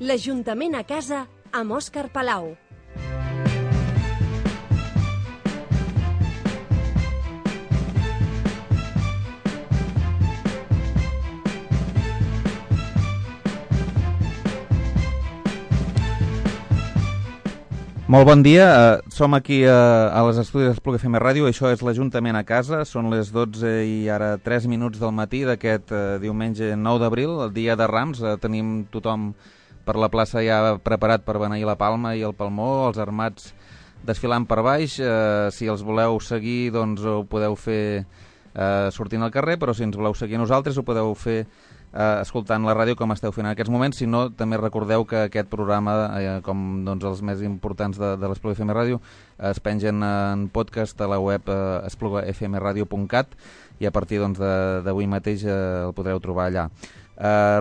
L'Ajuntament a casa amb Òscar Palau. Molt bon dia, som aquí a les estudis d'Espluga FM Ràdio, això és l'Ajuntament a casa, són les 12 i ara 3 minuts del matí d'aquest diumenge 9 d'abril, el dia de Rams, tenim tothom per la plaça ja preparat per beneir la palma i el palmó, els armats desfilant per baix, si els voleu seguir doncs ho podeu fer sortint al carrer, però si ens voleu seguir a nosaltres ho podeu fer escoltant la ràdio com esteu fent en aquests moments. Si no, també recordeu que aquest programa, com doncs, els més importants de l'Espluga FM Ràdio, es pengen en podcast a la web esplugafmradio.cat i a partir doncs, d'avui mateix el podreu trobar allà.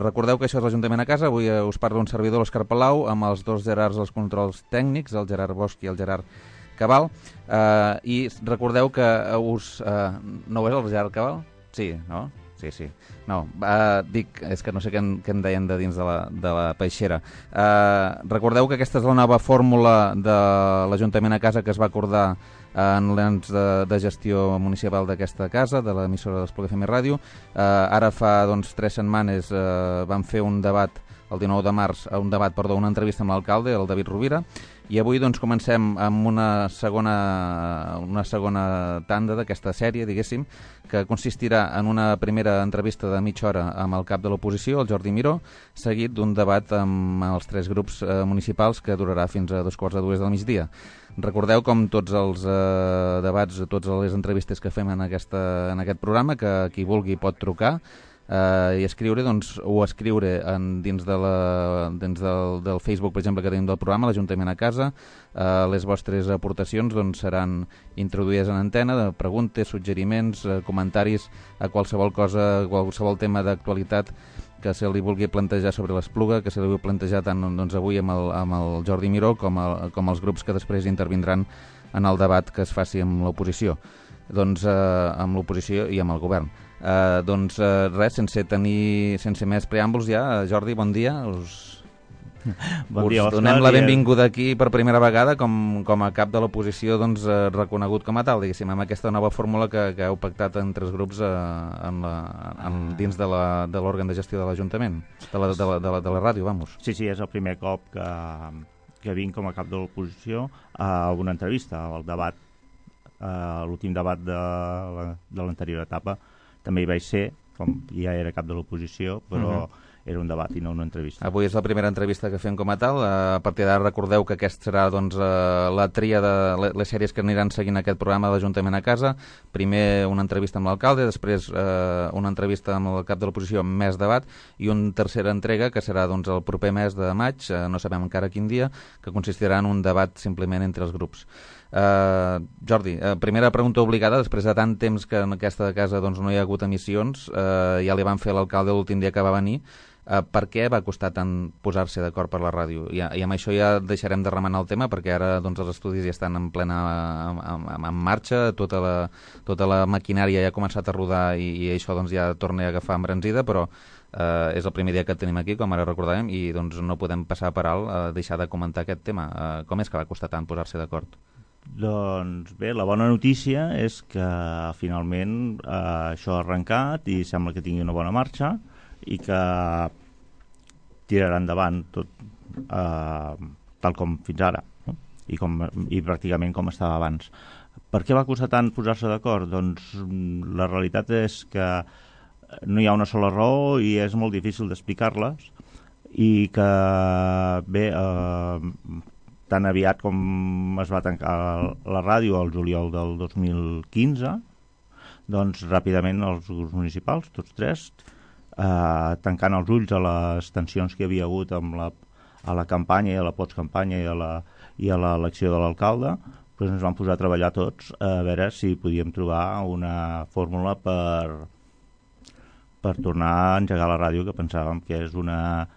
Recordeu que això és l'Ajuntament a casa. Avui us parla un servidor, l'Òscar Palau, amb els dos Gerards dels controls tècnics, el Gerard Bosch i el Gerard Cabal, i recordeu que no ho és el Gerard Cabal? Sí, no? Sí. No, dic, és que no sé què em deien de dins de la peixera. Recordeu que aquesta és la nova fórmula de l'Ajuntament a casa que es va acordar en l'ens de gestió municipal d'aquesta casa, de l'emissora d'Espluga FM Ràdio. Ara fa 3 setmanes vam fer un debat, el 19 de març, una entrevista amb l'alcalde, el David Rovira, i avui comencem amb una segona tanda d'aquesta sèrie, diguéssim, que consistirà en una primera entrevista de mitja hora amb el cap de l'oposició, el Jordi Miró, seguit d'un debat amb els 3 grups municipals que durarà fins a 2:45 del migdia. Recordeu, com tots els debats, totes les entrevistes que fem en aquest programa, que qui vulgui pot trucar i escriure, o escriure dins del Facebook, per exemple, que tenim del programa, l'Ajuntament a casa. Les vostres aportacions seran introduïdes en antena, de preguntes, suggeriments, comentaris a qualsevol cosa, qualsevol tema d'actualitat que se li vulgui plantejar sobre l'Espluga, que se li vulgui plantejar tant avui amb el Jordi Miró com els grups que després intervindran en el debat que es faci amb l'oposició. Amb l'oposició i amb el govern. Res, sense més preàmbuls ja, Jordi, bon dia. Us donem la benvinguda aquí per primera vegada com a cap de l'oposició reconegut com a tal, diguéssim, amb aquesta nova fórmula que heu pactat entre els grups dins de l'òrgan de gestió de l'Ajuntament, de la ràdio, vamos. Sí, és el primer cop que vinc com a cap de l'oposició a una entrevista, al debat, l'últim debat de l'anterior etapa. També hi vaig ser, com ja era cap de l'oposició, però era un debat i no una entrevista. Avui és la primera entrevista que fem com a tal. A partir d'ara recordeu que aquesta serà la tria de les sèries que aniran seguint aquest programa de l'Ajuntament a casa. Primer una entrevista amb l'alcalde, després una entrevista amb el cap de l'oposició amb més debat i una tercera entrega que serà el proper mes de maig, no sabem encara quin dia, que consistirà en un debat simplement entre els grups. Jordi, primera pregunta obligada, després de tant temps que en aquesta casa no hi ha hagut emissions, ja li van fer a l'alcalde l'últim dia que va venir. Per què va costar tant posar-se d'acord per la ràdio? I amb això ja deixarem de remenar el tema, perquè ara els estudis ja estan en en marxa, tota la maquinària ja ha començat a rodar i això ja torna a agafar embranzida, però és el primer dia que tenim aquí, com ara recordàvem, i no podem passar per alt deixar de comentar aquest tema. Com és que va costar tant posar-se d'acord? Doncs bé, la bona notícia és que finalment això ha arrencat i sembla que tingui una bona marxa i que tirarà endavant tot tal com fins ara, no? I pràcticament com estava abans. Per què va costar tant posar-se d'acord? Doncs la realitat és que no hi ha una sola raó i és molt difícil d'explicar-les, i que bé, tan aviat com es va tancar la ràdio al juliol del 2015, doncs ràpidament els grups municipals, tots 3, tancant els ulls a les tensions que hi havia hagut a la campanya i a la postcampanya i a l'elecció de l'alcalde, doncs ens vam posar a treballar tots a veure si podíem trobar una fórmula per tornar a engegar la ràdio, que pensàvem que és una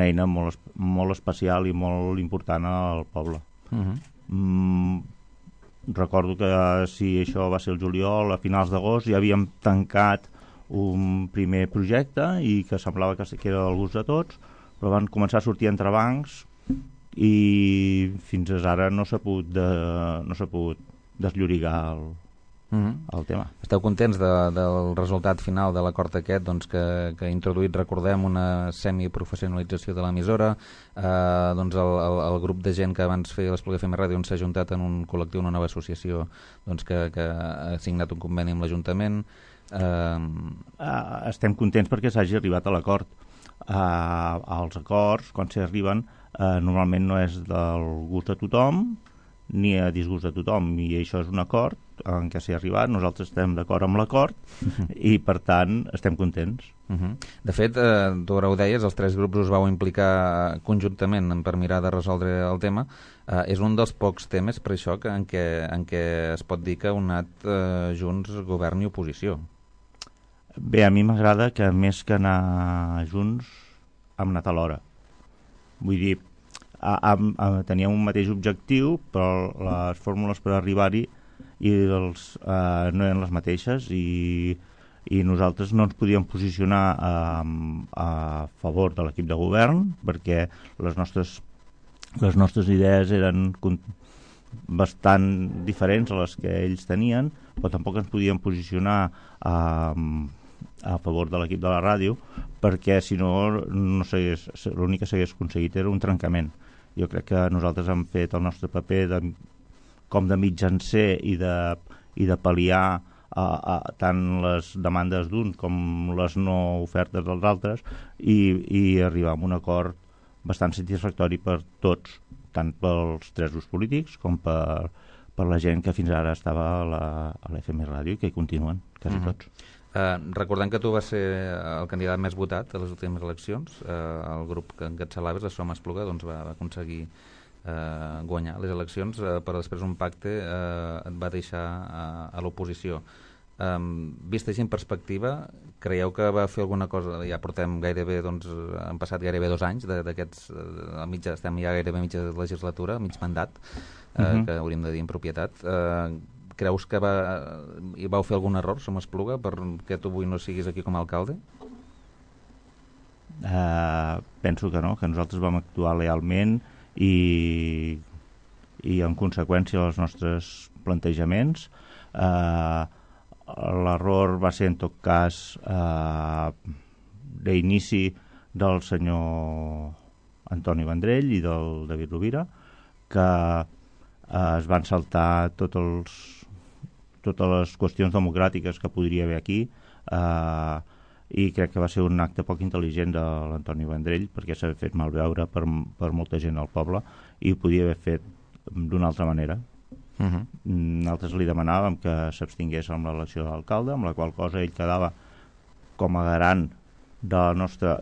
eina molt especial i molt important al poble. Recordo que si això va ser el juliol, a finals d'agost ja havíem tancat un primer projecte i que semblava que era del gust de tots, però van començar a sortir entrebancs i fins ara no s'ha pogut desllorigar el tema. Esteu contents del resultat final de l'acord aquest, doncs, que ha introduït, recordem, una semiprofessionalització de l'emissora, doncs el grup de gent que abans feia l'Espluga FM Ràdio s'ha ajuntat en un col·lectiu, una nova associació, doncs, que ha signat un conveni amb l'Ajuntament. Estem contents perquè s'hagi arribat a l'acord. Els acords, quan s'hi arriben, normalment no és del gust de tothom ni a disgust de tothom, i això és un acord en què s'hi ha arribat. Nosaltres estem d'acord amb l'acord i per tant estem contents. De fet, tu ara ho deies, els 3 grups us vau implicar conjuntament per mirar de resoldre el tema. És un dels pocs temes, per això, en què es pot dir que heu anat junts govern i oposició. Bé, a mi m'agrada que més que anar junts hem anat alhora. Vull dir, teníem un mateix objectiu, però les fórmules per arribar-hi no eren les mateixes, i nosaltres no ens podíem posicionar a favor de l'equip de govern perquè les nostres idees eren bastant diferents a les que ells tenien, però tampoc ens podíem posicionar a favor de l'equip de la ràdio, perquè si no, l'únic que s'hagués aconseguit era un trencament. Jo crec que nosaltres hem fet el nostre paper com de mitjancer i de pal·liar tant les demandes d'un com les no ofertes dels altres, i arribar a un acord bastant satisfactori per tots, tant pels 3 grups polítics com per la gent que fins ara estava a l'FM Ràdio i que hi continuen, quasi tots. Recordem que tu vas ser el candidat més votat a les últimes eleccions. El grup que encapçalaves, la Som Espluga, doncs va aconseguir guanyar les eleccions, però després un pacte et va deixar a l'oposició. Vist així en perspectiva, creieu que va fer alguna cosa? Ja portem gairebé, doncs, han passat gairebé 2 anys d'aquests, estem ja gairebé a mitja legislatura, mig mandat, que hauríem de dir en propietat. Creus que hi vau fer algun error, Som Espluga, perquè tu avui no siguis aquí com a alcalde? Penso que no, que nosaltres vam actuar lealment i en conseqüència dels nostres plantejaments. L'error va ser en tot cas d'inici del senyor Antoni Vendrell i del David Rovira, que es van saltar totes les qüestions democràtiques que podria haver aquí, i crec que va ser un acte poc intel·ligent de l'Antoni Vendrell, perquè s'ha fet malveure per molta gent al poble i ho podia haver fet d'una altra manera. Nosaltres li demanàvem que s'abstingués amb l'elecció de l'alcalde, amb la qual cosa ell quedava com a garant de la nostra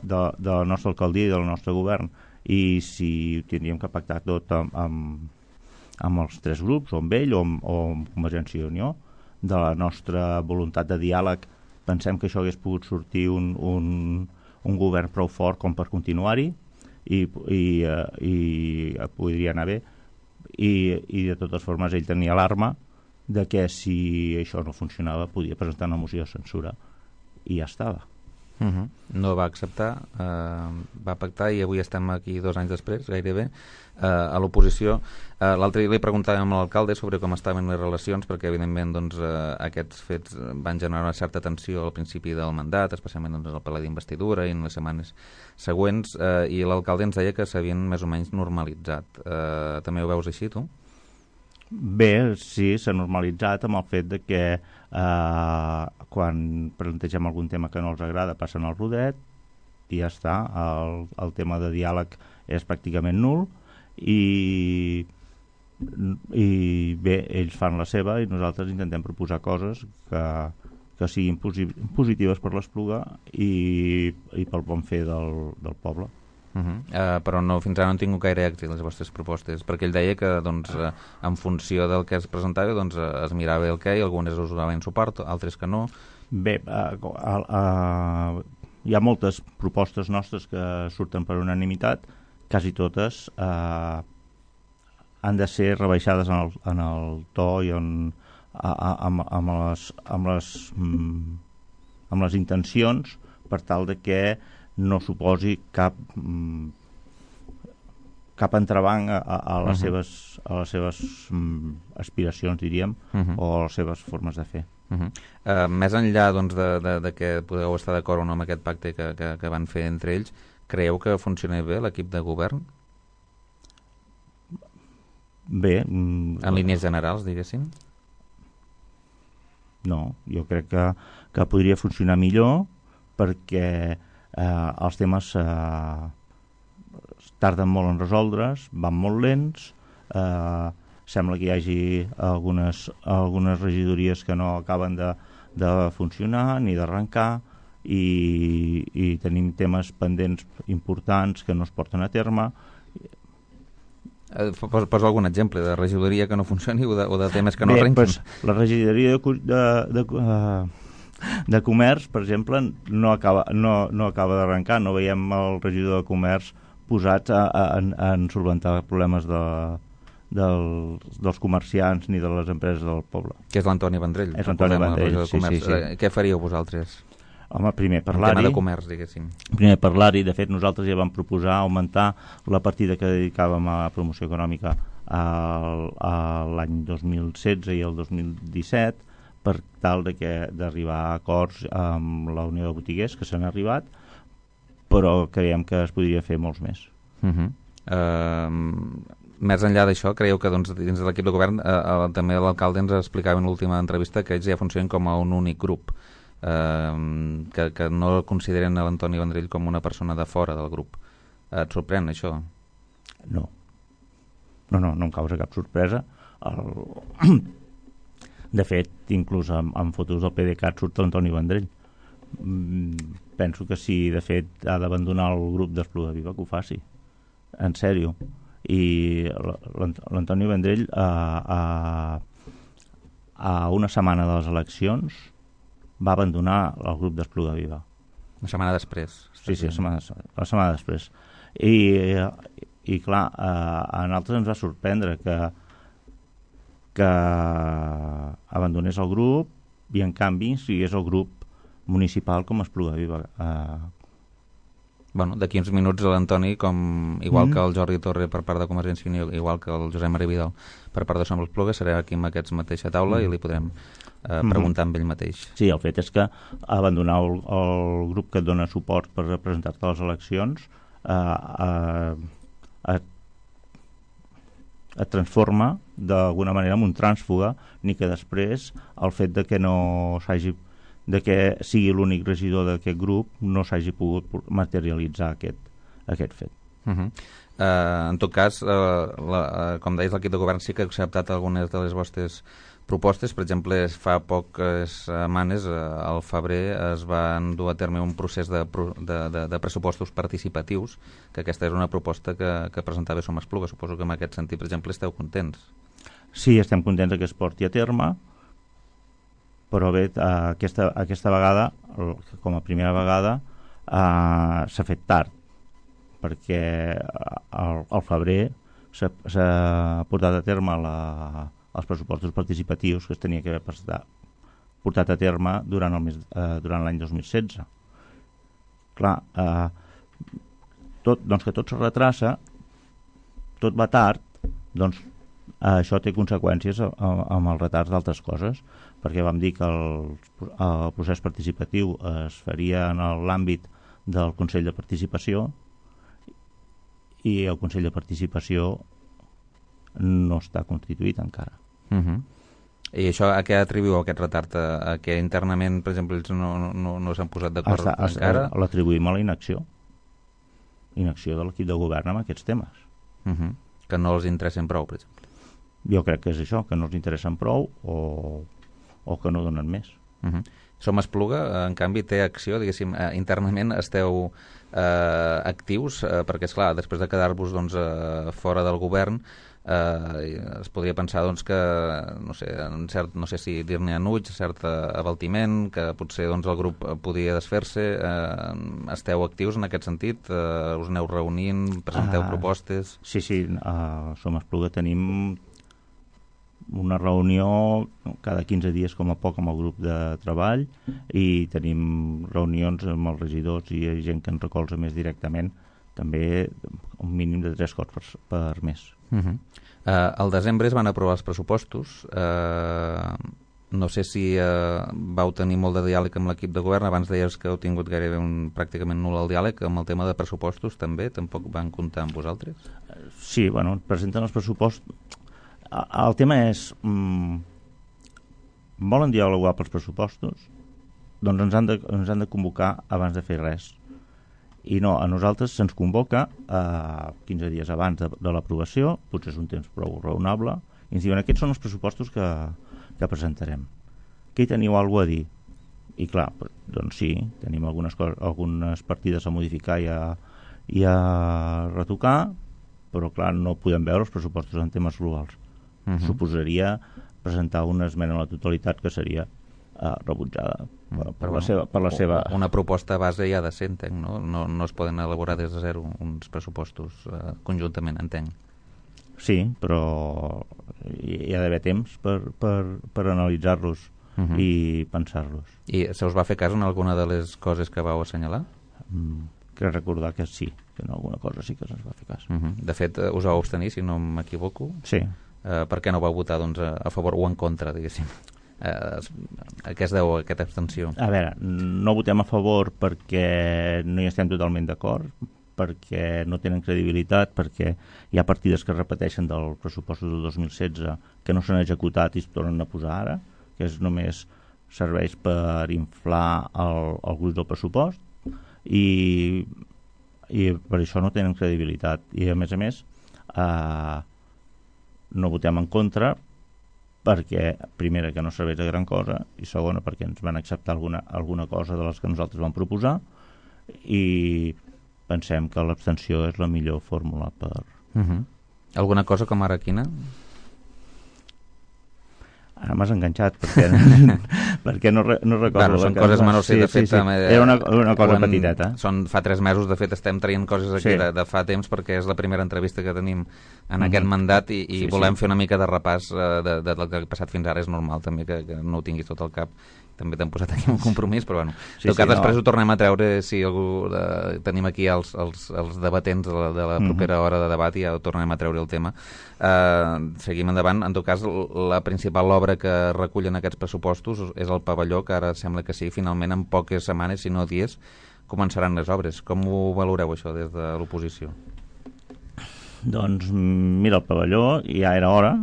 alcaldia i del nostre govern, i si ho tindríem que pactar tot amb els 3 grups, o amb ell o amb Convergència i Unió, de la nostra voluntat de diàleg, pensem que això hagués pogut sortir un govern prou fort com per continuar-hi, i podria anar bé, i de totes formes ell tenia l'arma de que si això no funcionava podia presentar una moció de censura i ja estava. No va acceptar, va pactar, i avui estem aquí 2 anys després, gairebé, a l'oposició. L'altre dia li preguntàvem a l'alcalde sobre com estaven les relacions, perquè evidentment doncs, aquests fets van generar una certa tensió al principi del mandat, especialment doncs, al ple d'investidura i en les setmanes següents, i l'alcalde ens deia que s'havien més o menys normalitzat. També ho veus així, tu? Bé, sí, s'ha normalitzat amb el fet de que quan plantegem algun tema que no els agrada passen al rodet i ja està. El tema de diàleg és pràcticament nul, i bé, ells fan la seva i nosaltres intentem proposar coses que siguin positives per l'Espluga i pel bon fer del poble. Però no, fins ara no han tingut gaire èxit les vostres propostes, perquè ell deia que doncs, en funció del que es presentava doncs, es mirava el que i algunes us donaven suport, altres que no. Bé, hi ha moltes propostes nostres que surten per unanimitat, quasi totes han de ser rebaixades en el to i amb les intencions, per tal de que no suposi cap entrebanc a les seves aspiracions, diríem, o a les seves formes de fer. Més enllà doncs, de que podeu estar d'acord o no amb aquest pacte que van fer entre ells, creieu que funciona bé l'equip de govern? Bé. En línies generals, diguéssim? No, jo crec que podria funcionar millor perquè els temes tarden molt en resoldre's, van molt lents, sembla que hi hagi algunes regidories que no acaben de funcionar ni d'arrencar i tenim temes pendents importants que no es porten a terme. Posa algun exemple de regidoria que no funcioni o de temes que no arrenquin? Pues, la regidoria de comerç, per exemple, no acaba d'arrencar. No veiem el regidor de comerç posats en solventar problemes dels comerciants ni de les empreses del poble. Que és l'Antoni Vendrell. És l'Antoni Vendrell, sí. Què faríeu vosaltres? Home, primer parlar-hi. El tema de comerç, diguéssim. Primer parlar-hi. De fet, nosaltres ja vam proposar augmentar la partida que dedicàvem a promoció econòmica l'any 2016 i el 2017 per tal d'arribar a acords amb la Unió de Botiguers, que s'han arribat, però creiem que es podria fer molts més. Més enllà d'això, creieu que doncs, dins de l'equip de govern també l'alcalde ens explicava en l'última entrevista que ells ja funcionen com a un únic grup, que no consideren l'Antoni Vendrell com una persona de fora del grup. Et sorprèn això? No em causa cap sorpresa. De fet, inclús en fotos del PDeCAT surt l'Antoni Vendrell. Penso que si de fet ha d'abandonar el grup d'Espluga Viva, que ho faci, en sèrio. I l'Antoni Vendrell a una setmana de les eleccions va abandonar el grup d'Espluga Viva. Una setmana després. Sí, una setmana després. I clar, a nosaltres ens va sorprendre que abandonés el grup i en canvi sigués el grup municipal com Espluga Viva. Bueno, d'aquí uns minuts l'Antoni, igual que el Jordi Torre per part de Convergència i Unió, igual que el Josep Maria Vidal per part de Som l'Espluga, serà aquí amb aquests mateixa taula i li podrem preguntar amb ell mateix. Sí, el fet és que abandonar el grup que et dona suport per representar-te a les eleccions et transforma d'alguna manera en un trànsfuga, ni que després el fet de que que sigui l'únic regidor d'aquest grup no s'hagi pogut materialitzar aquest fet. En tot cas, com deies, l'equip de govern sí que ha acceptat algunes de les vostres propostes. Per exemple, fa poques setmanes, al febrer, es van dur a terme un procés de pressupostos participatius, que aquesta és una proposta que presentava Som Espluga. Suposo que en aquest sentit, per exemple, esteu contents. Sí, estem contents que es porti a terme, però bé, aquesta vegada, com a primera vegada, s'ha fet tard, perquè al febrer s'ha portat a terme els pressupostos participatius que es tenia que haver portat a terme durant l'any 2016. Clar, que tot se retrassa, tot va tard, doncs això té conseqüències amb els retards d'altres coses, perquè vam dir que el procés participatiu es faria en l'àmbit del Consell de Participació i el Consell de Participació no està constituït encara. I això a què atribuïu aquest retard? A que internament, per exemple, ells no s'han posat d'acord encara? L'atribuïm a la inacció de l'equip de govern amb aquests temes. Que no els interessen prou, per exemple. Jo crec que és això, que no els interessen prou o que no donen més. Som Espluga, en canvi, té acció, diguéssim, internament esteu actius, perquè, esclar, després de quedar-vos fora del govern, es podria pensar que, no sé si dir-ne enuig, cert abaltiment, que potser el grup podia desfer-se. Esteu actius en aquest sentit? Us aneu reunint, presenteu propostes? Sí, Som Espluga tenim una reunió cada 15 dies com a poc amb el grup de treball i tenim reunions amb els regidors i gent que ens recolza més directament, també un mínim de 3 cops per mes. Al desembre es van aprovar els pressupostos. No sé si vau tenir molt de diàleg amb l'equip de govern. Abans deies que heu tingut gairebé pràcticament nul el diàleg amb el tema de pressupostos, també? Tampoc van comptar amb vosaltres? Sí, bueno, presenten els pressupostos. El tema és volen dialogar pels pressupostos? Doncs ens han de convocar abans de fer res. I no, a nosaltres se'ns convoca 15 dies abans de l'aprovació, potser és un temps prou raonable, i ens diuen aquests són els pressupostos que presentarem. Què hi teniu alguna cosa a dir? I clar, doncs sí, tenim algunes partides a modificar i a retocar, però clar, no podem veure els pressupostos en temes globals. Suposaria presentar una esmena a la totalitat que seria rebutjada per la seva... Una proposta base ja ha de ser, entenc, no? No es poden elaborar des de zero uns pressupostos conjuntament, entenc. Sí, però hi ha d'haver temps per analitzar-los i pensar-los. I se us va fer cas en alguna de les coses que vau assenyalar? Crec recordar que sí, que en alguna cosa sí que se'ns va fer cas. De fet, us vau abstenir, si no m'equivoco. Sí. Per què no vau votar doncs, a favor o en contra, diguéssim? A què es deu aquesta abstenció? A veure, no votem a favor perquè no hi estem totalment d'acord, perquè no tenen credibilitat, perquè hi ha partides que es repeteixen del pressupost del 2016 que no s'han executat i es tornen a posar ara, que només serveix per inflar el gruix del pressupost i per això no tenen credibilitat. I a més no votem en contra perquè, primera, que no serveix de gran cosa, i segona, perquè ens van acceptar alguna cosa de les que nosaltres vam proposar, i pensem que l'abstenció és la millor fórmula per... Alguna cosa com ara quina? Ara m'has enganxat perquè no recordo. Són coses menors, sí, de fet. Sí. Era una cosa petiteta. Fa 3 mesos, de fet, estem traient coses aquí de fa temps perquè és la primera entrevista que tenim en aquest mandat i volem fer una mica de repàs del que ha passat fins ara. És normal també que no ho tinguis tot al cap. També t'hem posat aquí un compromís, però bueno. En tot cas, després ho tornem a treure si algú... Tenim aquí els debatents de la propera hora de debat i ja ho tornem a treure el tema. Seguim endavant. En tot cas, la principal obra que recullen aquests pressupostos és el pavelló, que ara sembla que sí, finalment en poques setmanes, si no dies, començaran les obres. Com ho valoreu, això, des de l'oposició? Doncs, mira, el pavelló ja era hora.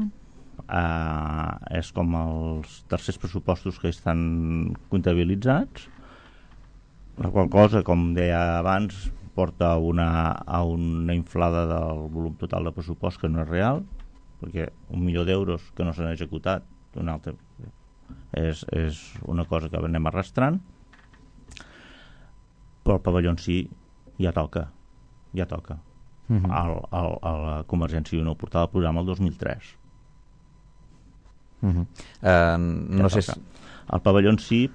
És com els tercers pressupostos que estan comptabilitzats, la qual cosa, com deia abans, porta a una inflada del volum total de pressupost que no és real, perquè 1 milió d'euros que no s'han executat és una cosa que anem arrastrant, però el pavelló en si ja toca. A la Convergència i Unió portava el programa el 2003. No sé si... El pavelló en si,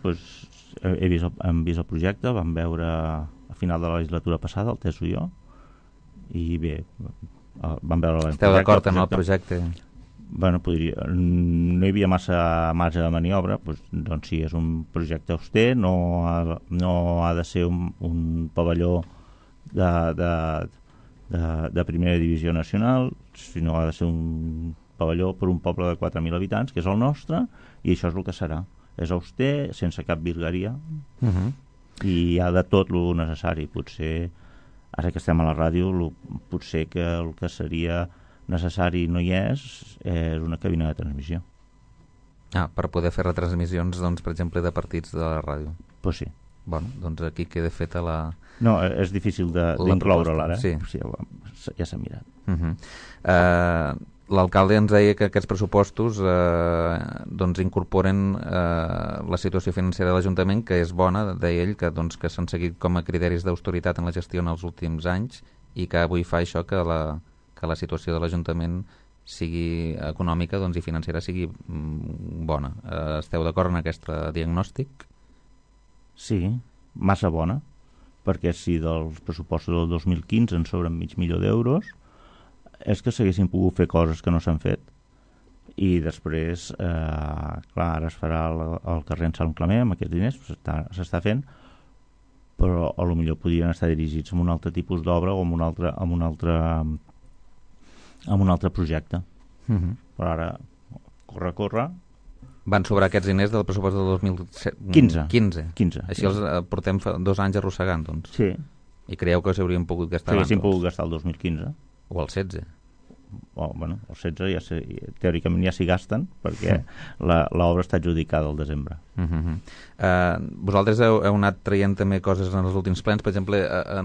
hem vist el projecte, vam veure a final de la legislatura passada, el Teso i jo, i bé, vam veure el projecte. Esteu d'acord amb el projecte? Bueno, no hi havia massa marge de maniobra, doncs sí, és un projecte auster, no ha de ser un pavelló de primera divisió nacional, sinó ha de ser un pavelló per un poble de 4.000 habitants, que és el nostre, i això és el que serà. És auster, sense cap virgueria, i hi ha de tot el necessari. Potser, ara que estem a la ràdio, potser que el que seria necessari no hi és una cabina de transmissió. Per poder fer retransmissions, doncs, per exemple, de partits de la ràdio. Pues sí. Bueno, doncs aquí queda feta la... No, és difícil d'incloure-la, ara. Sí. Ja s'ha mirat. L'alcalde ens deia que aquests pressupostos doncs incorporen la situació financera de l'Ajuntament, que és bona, deia ell, que s'han seguit com a criteris d'austeritat en la gestió en els últims anys i que avui fa això que la situació de l'Ajuntament sigui econòmica i financera sigui bona. Esteu d'acord en aquest diagnòstic? Sí, massa bona, perquè si dels pressupostos del 2015 en sobren 500.000 d'euros, és que s'haguessin pogut fer coses que no s'han fet i després clar, ara es farà el carrer en Sant Clement amb aquests diners, s'està fent, però a lo millor podrien estar dirigits a un altre tipus d'obra o a un altre projecte. Però ara corre van sobrar aquests diners del pressupost del 2015. Així els portem 2 anys arrossegant, doncs. Sí. I creieu que s'haurien pogut gastar abans? S'haurien pogut gastar el 2015. O el 16. Bueno, el 16 teòricament ja s'hi gasten, perquè l'obra està adjudicada al desembre. Vosaltres heu anat traient també coses en els últims plens. Per exemple,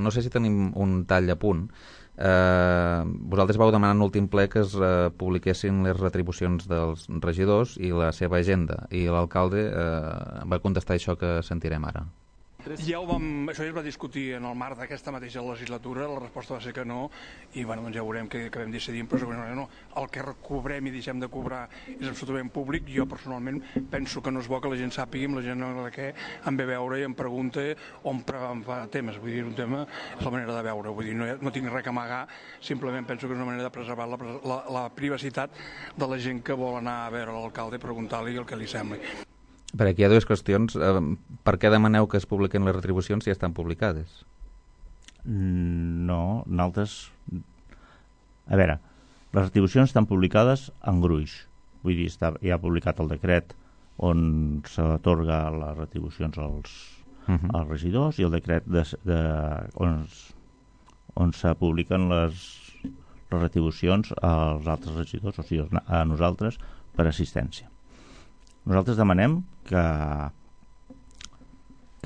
no sé si tenim un tall a punt. Vosaltres vau demanar en l'últim ple que es publiquessin les retribucions dels regidors i la seva agenda, i l'alcalde va contestar això que sentirem ara. Això ja es va discutir en el marc d'aquesta mateixa legislatura, la resposta va ser que no, i bueno, doncs ja veurem què acabem decidint, però segurament no. El que cobrem i deixem de cobrar és absolutament públic. Jo personalment penso que no és bo que la gent sàpiga, la gent de què em ve a veure i em pregunta o em fa temes. Vull dir, un tema és la manera de veure, vull dir, no tinc res a amagar, simplement penso que és una manera de preservar la privacitat de la gent que vol anar a veure l'alcalde i preguntar-li el que li sembli. Perquè aquí hi ha dues qüestions. Per què demaneu que es publiquen les retribucions si ja estan publicades? No, nosaltres... A veure, les retribucions estan publicades en gruix. Vull dir, ja ha publicat el decret on s'atorga les retribucions als regidors i el decret on se publiquen les retribucions als altres regidors, o sigui, a nosaltres, per assistència. Nosaltres demanem que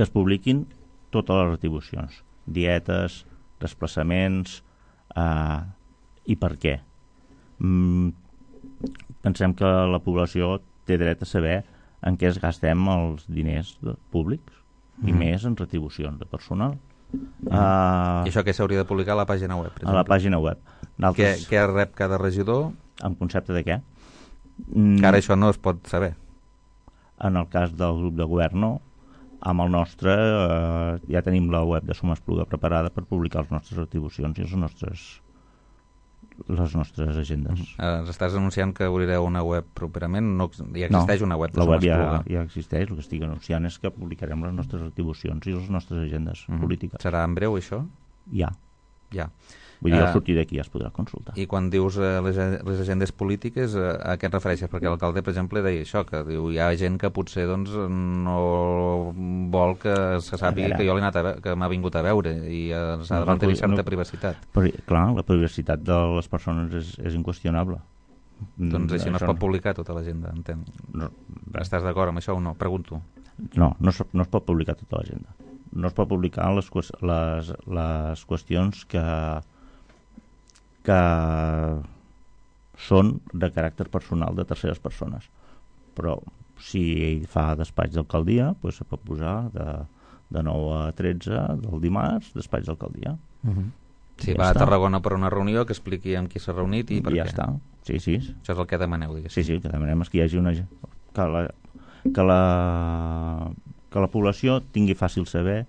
es publiquin totes les retribucions, dietes, desplaçaments, i per què. Pensem que la població té dret a saber en què es gastem els diners públics, i més en retribucions de personal. I això què s'hauria de publicar a la pàgina web? A la pàgina web. Què rep cada regidor? En concepte de què? Que ara això no es pot saber. En el cas del grup de govern, no. Amb el nostre ja tenim la web de Som Espluga preparada per publicar les nostres retribucions i les nostres agendes. Estàs anunciant que obrireu una web properament? No, ja existeix una web de Som Espluga. La web ja existeix. El que estic anunciant és que publicarem les nostres retribucions i les nostres agendes polítiques. Serà en breu, això? Ja. Vull dir, al sortir d'aquí ja es podrà consultar. I quan dius les agendes polítiques, a què et refereixes? Perquè l'alcalde, per exemple, deia això, que diu, hi ha gent que potser doncs, no vol que se sàpiga que jo que m'ha vingut a veure i s'ha de mantenir certa privacitat. Però, clar, la privacitat de les persones és inqüestionable. Doncs així no es pot publicar tota l'agenda, entenc. Estàs d'acord amb això o no? Pregunto. No es pot publicar tota l'agenda. No es pot publicar les qüestions que són de caràcter personal de terceres persones, però si ell fa despatx d'alcaldia, doncs se pot posar de 9 a 13 del dimarts, despatx d'alcaldia. Si va a Tarragona per una reunió, que expliqui amb qui s'ha reunit i per què. Ja està, sí. Això és el que demaneu, diguéssim. Sí, el que demanem és que hi hagi que la població tingui fàcil saber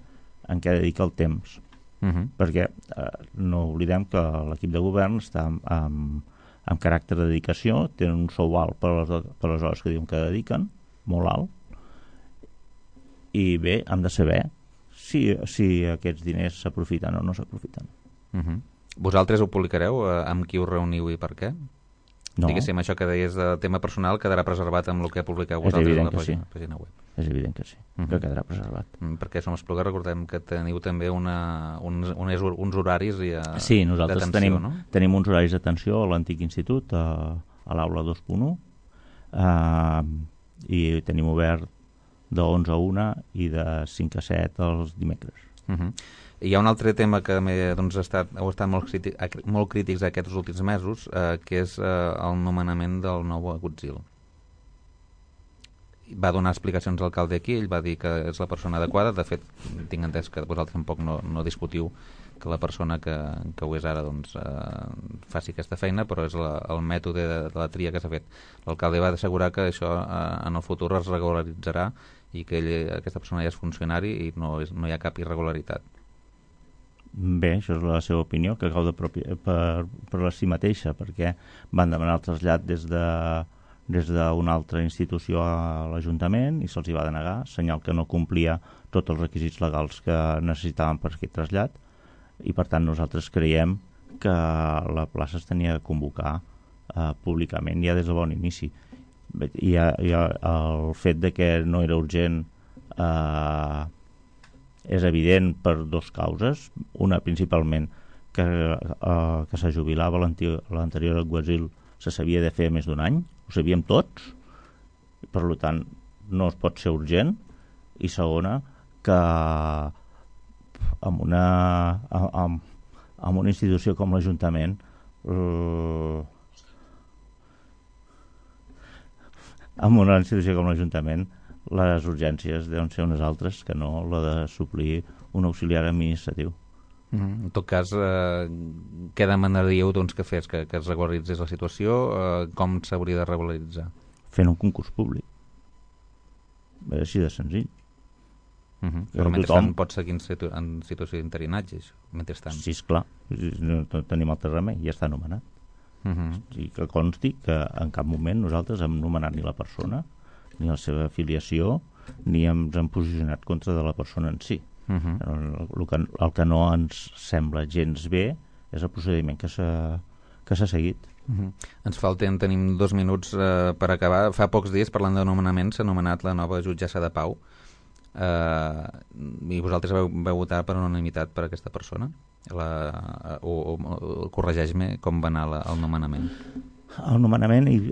en què dedica el temps. Perquè no oblidem que l'equip de govern està amb caràcter de dedicació, tenen un sou alt per les hores que diuen que dediquen, molt alt, i bé, hem de saber si aquests diners s'aprofiten o no s'aprofiten. Vosaltres ho publicareu? Amb qui us reuniu i per què? No. Diguéssim, això que deies de tema personal quedarà preservat amb el que publiqueu vosaltres a la pàgina web. És evident que sí, que quedarà preservat. Perquè Som Espluga, recordem que teniu també uns horaris sí, nosaltres tenim uns horaris d'atenció a l'antic institut, a l'aula 2.1, i tenim obert de 11 a 1 i de 5 a 7 els dimecres. Hi ha un altre tema que heu estat molt crítics aquests últims mesos, que és el nomenament del nou Agutzil. Va donar explicacions a l'alcalde aquí, ell va dir que és la persona adequada. De fet, tinc entès que vosaltres tampoc no discutiu que la persona que ho és ara faci aquesta feina, però és el mètode de la tria que s'ha fet. L'alcalde va assegurar que això en el futur es regularitzarà i que aquesta persona ja és funcionari i no hi ha cap irregularitat. Bé, això és la seva opinió, que cau per si mateixa, perquè van demanar el trasllat des de des d'una altra institució a l'Ajuntament i se'ls hi va denegar, senyal que no complia tots els requisits legals que necessitaven per aquest trasllat, i per tant nosaltres creiem que la plaça es tenia de convocar públicament ja des de bon inici. I el fet de que no era urgent és evident per dues causes. Una, principalment, que se jubilava l'anterior alguacil se sabia de fer més d'un any, ho sabíem tots, per tant no es pot ser urgent. I segona, que amb una institució com l'Ajuntament les urgències deuen ser unes altres que no la de suplir un auxiliar administratiu. En tot cas, què demanaríeu que fes, que es regularitzés la situació? Com s'hauria de regularitzar? Fent un concurs públic. És així de senzill. Però mentrestant pot seguir en situació d'interinatge, mentrestant. Sí, esclar, no tenim altre remei, ja està nomenat. I que consti que en cap moment nosaltres hem nomenat ni la persona, ni la seva afiliació, ni ens hem posicionat contra de la persona en si. El que no ens sembla gens bé és el procediment que s'ha seguit. Ens falten, tenim 2 minuts per acabar. Fa pocs dies, parlant de nomenament, s'ha nomenat la nova jutgessa de pau, i vosaltres vau votar per unanimitat per aquesta persona, o corregeix-me com va anar el nomenament. El nomenament, hi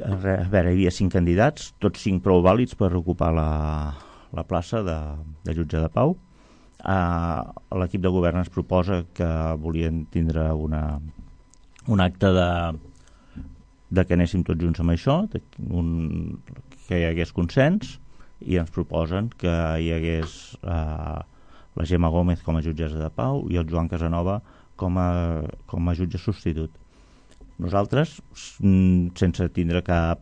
havia 5 candidats, tots 5 prou vàlids per ocupar la plaça de jutge de pau. L'equip de govern ens proposa que volien tindre un acte de que anéssim tots junts amb això, que hi hagués consens, i ens proposen que hi hagués la Gemma Gómez com a jutgessa de pau i el Joan Casanova com a jutge substitut. Nosaltres, sense tindre cap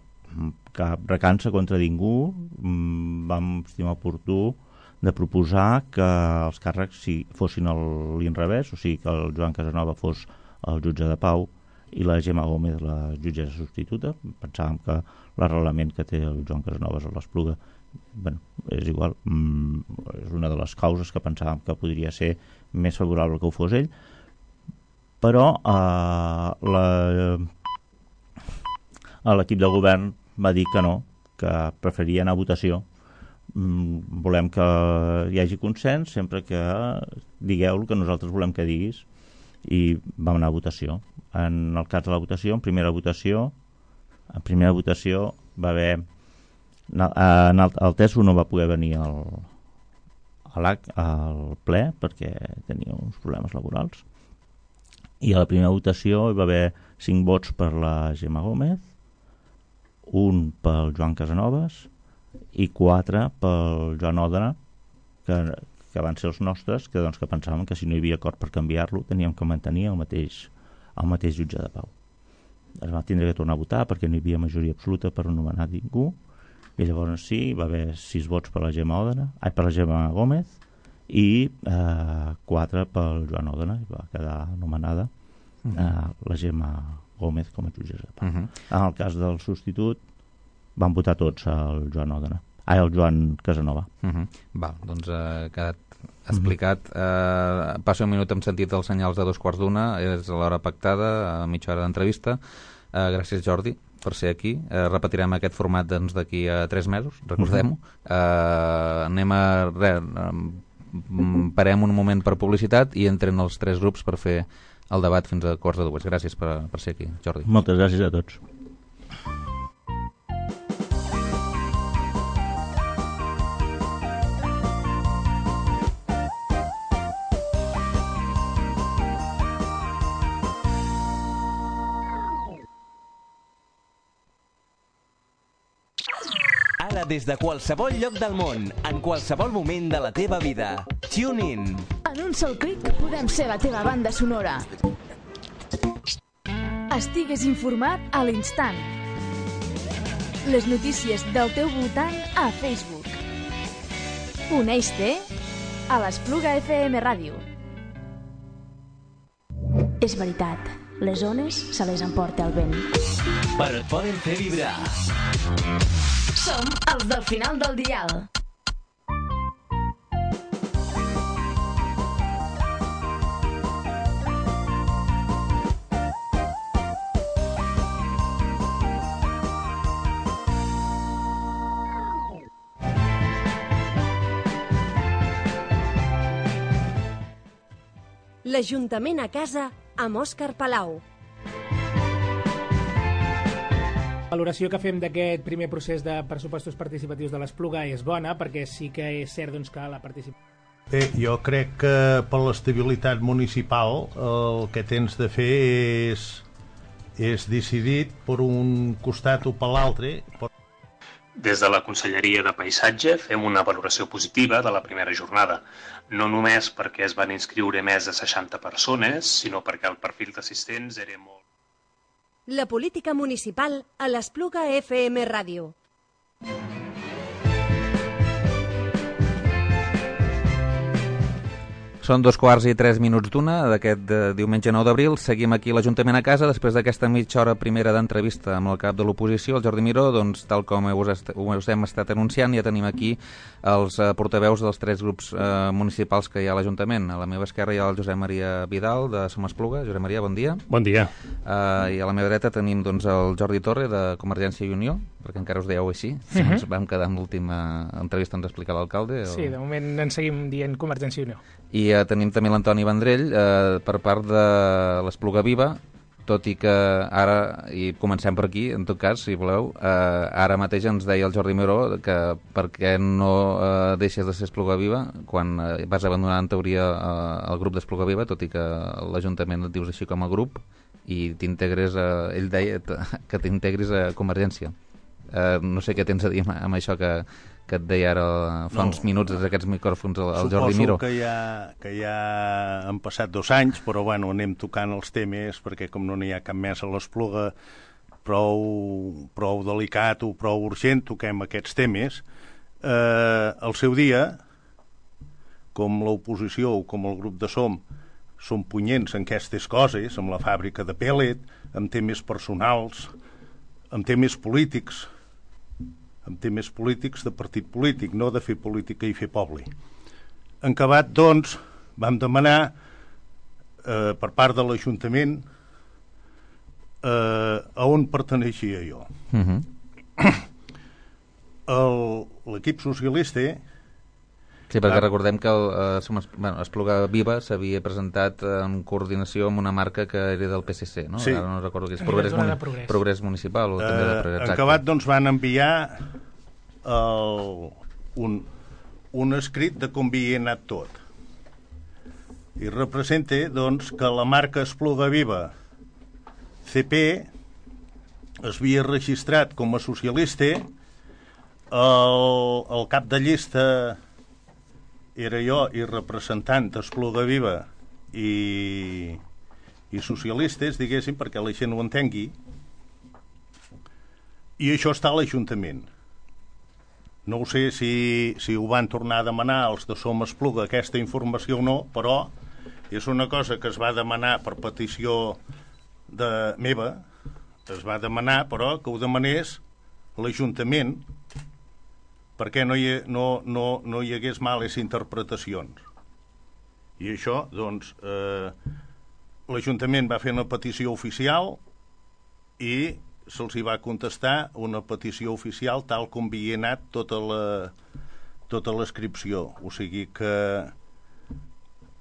recança contra ningú, vam estimar oportú de proposar que els càrrecs fossin a l'inrevés, o sigui que el Joan Casanova fos el jutge de pau i la Gemma Gómez la jutgessa substituta. Pensàvem que l'arrelament que té el Joan Casanova a l'Espluga, és igual, és una de les causes que pensàvem que podria ser més favorable que ho fos ell, però l'equip de govern va dir que no, que preferia anar a votació. Volem que hi hagi consens sempre que digueu el que nosaltres volem que diguis, i vam anar a votació. En el cas de la votació, en primera votació va haver el Teso no va poder venir al ple perquè tenia uns problemes laborals, i a la primera votació hi va haver 5 vots per la Gemma Gómez, 1 pel Joan Casanovas i 4 pel Joan Òdena, que van ser els nostres, que pensàvem que si no hi havia acord per canviar-lo teníem que mantenir el mateix jutge de pau. Es va tindre que tornar a votar perquè no hi havia majoria absoluta per nomenar ningú, i llavors sí, va haver 6 vots per la Gemma Gómez i 4 pel Joan Òdena, i va quedar nomenada la Gemma Gómez com a jutgessa de pau. En el cas del substitut van votar tots el Joan Casanova. Val, doncs ha quedat explicat. Passo un minut en sentit dels senyals de 2:15, és l'hora pactada, a mitja hora d'entrevista. Gràcies, Jordi, per ser aquí. Repetirem aquest format d'aquí a 3 mesos, recordem-ho. Parem un moment per publicitat i entren els 3 grups per fer el debat fins a 1:45. Gràcies per ser aquí, Jordi. Moltes gràcies a tots. Ara des de qualsevol lloc del món, en qualsevol moment de la teva vida. Tune in. En un sol clic podem ser la teva banda sonora. Estigues informat a l'instant. Les notícies del teu voltant a Facebook. Uneix-te a l'Espluga FM Ràdio. És veritat, les ones se les emporta el vent. Però et poden fer vibrar. Som els del final del dial. L'Ajuntament a casa amb Òscar Palau. La valoració que fem d'aquest primer procés de pressupostos participatius de l'Espluga és bona, perquè sí que és cert que la participació... Bé, jo crec que per l'estabilitat municipal el que tens de fer és decidit per un costat o per l'altre. Des de la Conselleria de Paisatge fem una valoració positiva de la primera jornada, no només perquè es van inscriure més de 60 persones, sinó perquè el perfil d'assistents era molt... La política municipal a l'Espluga FM Ràdio. Són 2:03 d'aquest diumenge 9 d'abril. Seguim aquí a l'Ajuntament a casa després d'aquesta mitja hora primera d'entrevista amb el cap de l'oposició, el Jordi Miró. Doncs, tal com us hem estat anunciant, ja tenim aquí els portaveus dels 3 grups municipals que hi ha a l'Ajuntament. A la meva esquerra hi ha el Josep Maria Vidal, de Som Espluga. Josep Maria, bon dia. Bon dia. I a la meva dreta tenim doncs, el Jordi Torre, de Convergència i Unió, perquè encara us dèieu així. Ens vam quedar amb l'última entrevista on ens explica l'alcalde. Sí, de moment ens seguim dient Convergència i Unió. I tenim també l'Antoni Vendrell per part de l'Espluga Viva, tot i que ara, i comencem per aquí, en tot cas, si voleu, ara mateix ens deia el Jordi Miró que per què no deixes de ser Espluga Viva quan vas abandonar en teoria el grup d'Espluga Viva, tot i que l'Ajuntament et dius així com a grup, i t'integres, ell deia que t'integris a Convergència. No sé què tens a dir amb això que et deia ara fa uns minuts des d'aquests micròfons el Jordi Miró. Suposo que ja han passat 2 anys, però bueno, anem tocant els temes perquè com no n'hi ha cap més a l'Espluga prou delicat o prou urgent, toquem aquests temes. Al seu dia, com l'oposició o com el grup de Som punyents en aquestes coses, amb la fàbrica de pèl·let, amb temes personals, amb temes polítics de partit polític, no de fer política i fer poble. En acabat, doncs, vam demanar per part de l'Ajuntament a on perteneixia jo. L'equip socialista... Sí, perquè recordem que Espluga Viva s'havia presentat en coordinació amb una marca que era del PSC, no? Sí. Ara no recordo que és Progrés Municipal o també de Progrés. En acabat, doncs, van enviar un escrit de com havia anat tot. I representa, doncs, que la marca Espluga Viva CP es havia registrat com a socialista, el cap de llista era jo i representant d'Espluga Viva i socialistes, diguéssim, perquè la gent ho entengui, i això està a l'Ajuntament. No sé si ho van tornar a demanar els de Som Espluga, aquesta informació o no, però és una cosa que es va demanar per petició meva, es va demanar, però que ho demanés l'Ajuntament perquè no hi hagués males interpretacions. I això, doncs, l'Ajuntament va fer una petició oficial i se'ls hi va contestar una petició oficial tal com havia anat tota l'inscripció. O sigui que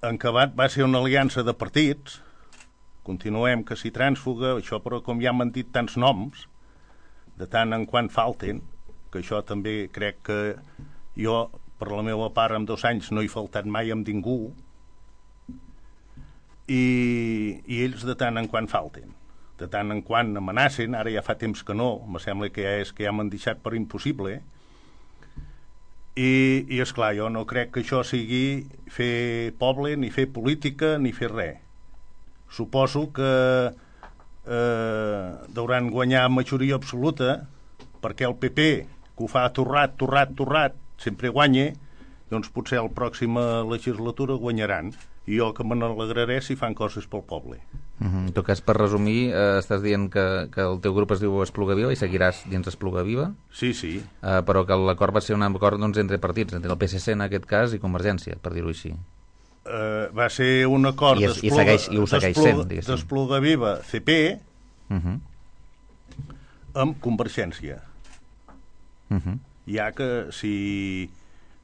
en acabat va ser una aliança de partits, continuem que s'hi trànsfuga, això però com ja m'han dit tants noms, de tant en quant falten, que això també crec que jo, per la meva part, en 2 anys no he faltat mai amb ningú, i ells de tant en quant falten. De tant en quant amenacen, ara ja fa temps que no, me sembla que ja m'han deixat per impossible, i esclar, jo no crec que això sigui fer poble, ni fer política, ni fer res. Suposo que deuran guanyar majoria absoluta, perquè el PP, que ho fa torrat, sempre guanya, doncs potser a la pròxima legislatura guanyaran. I jo que me n'alegraré si fan coses pel poble. En tot cas, per resumir, estàs dient que el teu grup es diu Espluga Viva i seguiràs dins Espluga Viva? Sí, sí. Però que l'acord va ser un acord entre partits, entre el PSC en aquest cas i Convergència, per dir-ho així. Va ser un acord d'Espluga Viva CP amb Convergència. Ja que, si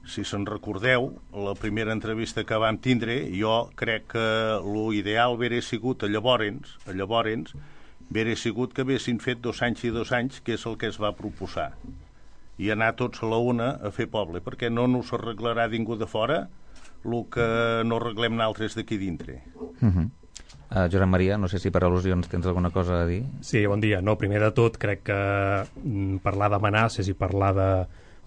se'n recordeu, la primera entrevista que vam tindre, jo crec que l'ideal hauria sigut llavors hauria sigut que haguessin fet 2 anys i 2 anys, que és el que es va proposar, i anar tots a la una a fer poble, perquè no nos arreglarà ningú de fora el que no arreglem nosaltres d'aquí dintre. Josep Maria, no sé si per al·lusions tens alguna cosa a dir. Sí, bon dia. No, primer de tot, crec que parlar d'amenaces i parlar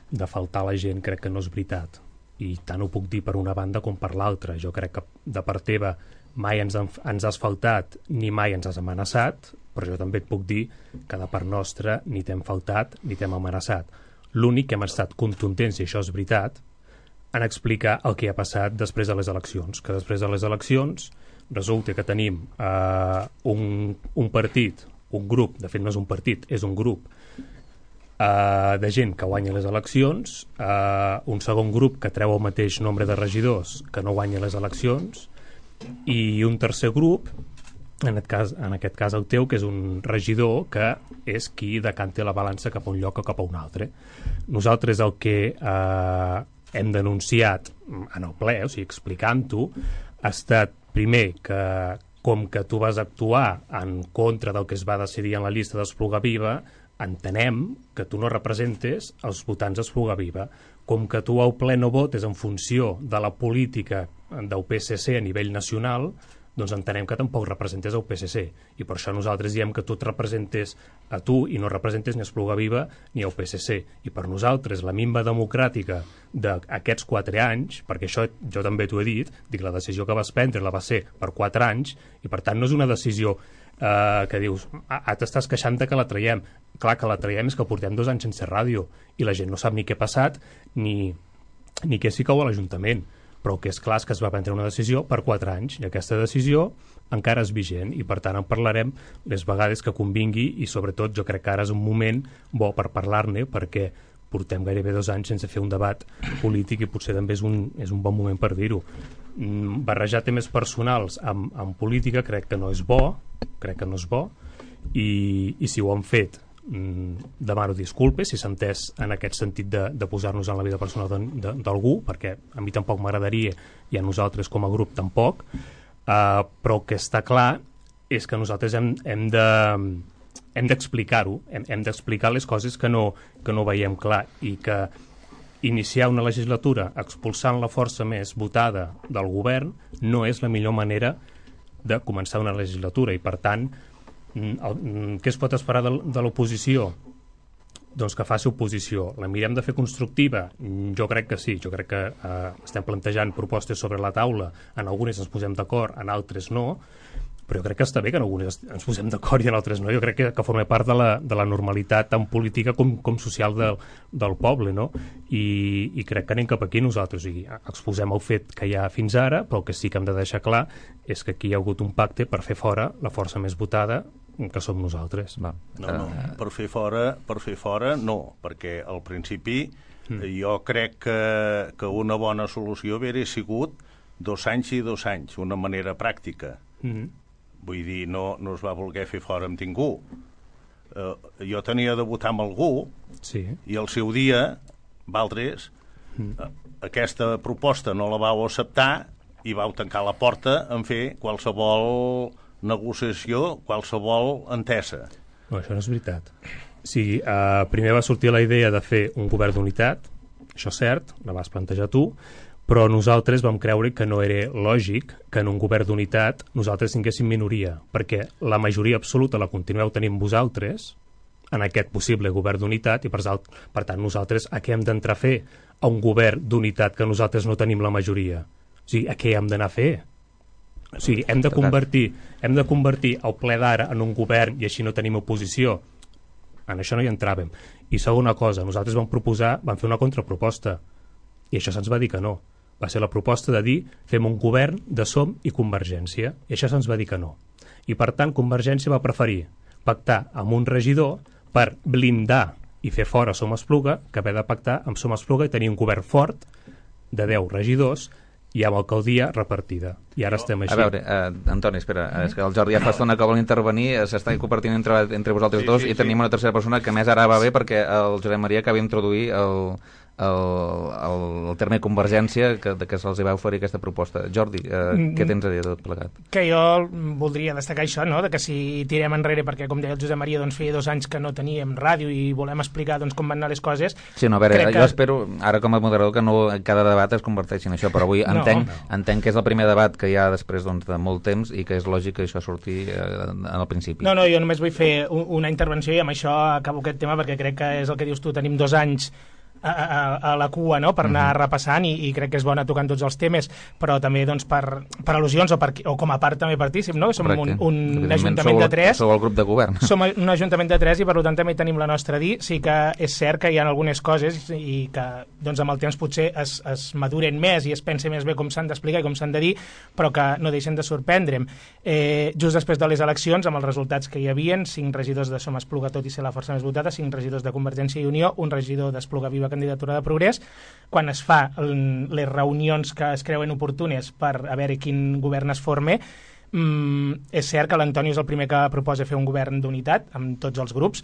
de faltar a la gent crec que no és veritat. I tant ho puc dir per una banda com per l'altra. Jo crec que de part teva mai ens has faltat ni mai ens has amenaçat, però jo també et puc dir que de part nostra ni t'hem faltat ni t'hem amenaçat. L'únic que hem estat contundents, i això és veritat, en explicar el que ha passat després de les eleccions. Que després de les eleccions resulta que tenim un partit, un grup, de fet no és un partit, és un grup de gent que guanya les eleccions, un segon grup que treu el mateix nombre de regidors que no guanya les eleccions, i un tercer grup, en aquest cas el teu, que és un regidor que és qui decanta la balança cap a un lloc o cap a un altre. Nosaltres el que hem denunciat en el ple, o sigui, explicant-ho, ha estat primer que com que tu vas actuar en contra del que es va decidir en la llista d'Espluga Viva, entenem que tu no representes els votants d'Espluga Viva. Com que tu al ple no votes en funció de la política del PSC a nivell nacional, doncs entenem que tampoc representes el PSC. I per això nosaltres diem que tu et representes a tu i no representes ni Espluga Viva ni el PSC. I per nosaltres la minva democràtica d'aquests 4 anys, perquè això jo també t'ho he dit, dic, la decisió que vas prendre la va ser per 4 anys, i per tant no és una decisió que dius, t'estàs queixant que la traiem. Clar, que la traiem és que portem 2 anys sense ràdio i la gent no sap ni què ha passat ni què s'hi cau a l'Ajuntament. Però el que és clar és que es va prendre una decisió per 4 anys i aquesta decisió encara és vigent i per tant en parlarem les vegades que convingui i sobretot jo crec que ara és un moment bo per parlar-ne perquè portem gairebé 2 anys sense fer un debat polític i potser també és un bon moment per dir-ho. Barrejar temes personals amb política crec que no és bo, i si ho han fet demano disculpes si s'ha entès en aquest sentit de posar-nos en la vida personal d'algú, perquè a mi tampoc m'agradaria i a nosaltres com a grup tampoc, però el que està clar és que nosaltres hem d'explicar-ho, hem d'explicar les coses que no veiem clar i que iniciar una legislatura expulsant la força més votada del govern no és la millor manera de començar una legislatura i per tant què es pot esperar de l'oposició? Doncs que faci oposició. La mirem de fer constructiva? Jo crec que sí, jo crec que estem plantejant propostes sobre la taula, en algunes ens posem d'acord, en altres no, però jo crec que està bé que en algunes ens posem d'acord i en altres no. Jo crec que forma part de la normalitat tant política com social del poble, no? I crec que anem cap aquí nosaltres. O sigui, exposem el fet que hi ha fins ara, però el que sí que hem de deixar clar és que aquí hi ha hagut un pacte per fer fora la força més votada, que som nosaltres. No, per fer fora no, perquè al principi jo crec que una bona solució hauria sigut 2 anys i 2 anys, una manera pràctica. Vull dir, no es va voler fer fora amb ningú. Jo tenia de votar amb algú i al seu dia, valtres, aquesta proposta no la vau acceptar i vau tancar la porta en fer qualsevol negociació, qualsevol entesa. No, això no és veritat. Sí, primer va sortir la idea de fer un govern d'unitat, això és cert, la vas plantejar tu, però nosaltres vam creure que no era lògic que en un govern d'unitat nosaltres tinguéssim minoria, perquè la majoria absoluta la continueu tenint vosaltres en aquest possible govern d'unitat i per tant nosaltres a què hem d'entrar a fer a un govern d'unitat que nosaltres no tenim la majoria? O sigui, a què hem d'anar a fer? O sigui, hem de convertir el ple d'ara en un govern i així no tenim oposició. En això no hi entràvem. I segona cosa, nosaltres vam fer una contraproposta i això se'ns va dir que no. Va ser la proposta de dir fem un govern de SOM i Convergència i això se'ns va dir que no. I per tant Convergència va preferir pactar amb un regidor per blindar i fer fora Som Espluga que haver de pactar amb Som Espluga i tenir un govern fort de 10 regidors i amb alcaldia repartida. I ara estem així. A veure, Antoni, espera, és que el Jordi ja fa estona que vol intervenir, s'està compartint entre vosaltres dos i tenim una tercera persona que més ara va bé perquè el Josep Maria acaba d'introduir el terme convergència que se'ls va oferir aquesta proposta. Jordi, què tens a dir de tot plegat? Que jo voldria destacar això, no? De que si tirem enrere, perquè com deia el Josep Maria, doncs feia 2 anys que no teníem ràdio i volem explicar doncs, com van anar les coses. Sí, no, a veure, jo espero, ara com a moderador, que no cada debat es converteixi en això, però avui entenc que és el primer debat que hi ha després de molt temps i que és lògic que això surti al principi. No, jo només vull fer una intervenció i amb això acabo aquest tema perquè crec que és el que dius tu, tenim 2 anys a la cua, no?, per anar repassant i crec que és bona tocant tots els temes, però també doncs, per al·lusions o com a part també partícip, no? Som un ajuntament de 3. Sou el grup de govern. Som un ajuntament de 3 i per tant també tenim la nostra dir. Sí que és cert que hi ha algunes coses i que doncs, amb el temps potser es maduren més i es pensa més bé com s'han d'explicar i com s'han de dir, però que no deixen de sorprendre'm. Just després de les eleccions, amb els resultats que hi havien, 5 regidors de Som Espluga, tot i ser la força més votada, 5 regidors de Convergència i Unió, un regidor d'Espluga Viva candidatura de Progrés, quan es fa les reunions que es creuen oportunes per a veure quin govern es forme, és cert que l'Antoni és el primer que proposa fer un govern d'unitat amb tots els grups.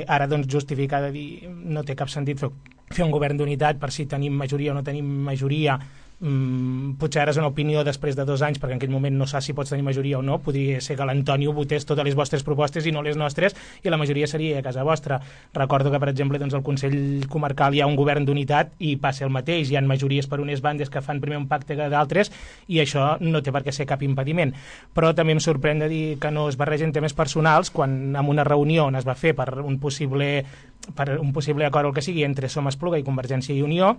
Ara doncs justificar de dir no té cap sentit fer un govern d'unitat per si tenim majoria o no tenim majoria. Potser ara és una opinió després de 2 anys perquè en aquell moment no saps si pots tenir majoria o no. Podria ser que l'Antoni votés totes les vostres propostes i no les nostres i la majoria seria a casa vostra. Recordo que per exemple doncs, al Consell Comarcal hi ha un govern d'unitat i passa el mateix, hi ha majories per unes bandes que fan primer un pacte que d'altres i això no té per què ser cap impediment, però també em sorprèn de dir que no es barregen temes personals quan en una reunió on es va fer per un possible acord o el que sigui entre Som Espluga i Convergència i Unió,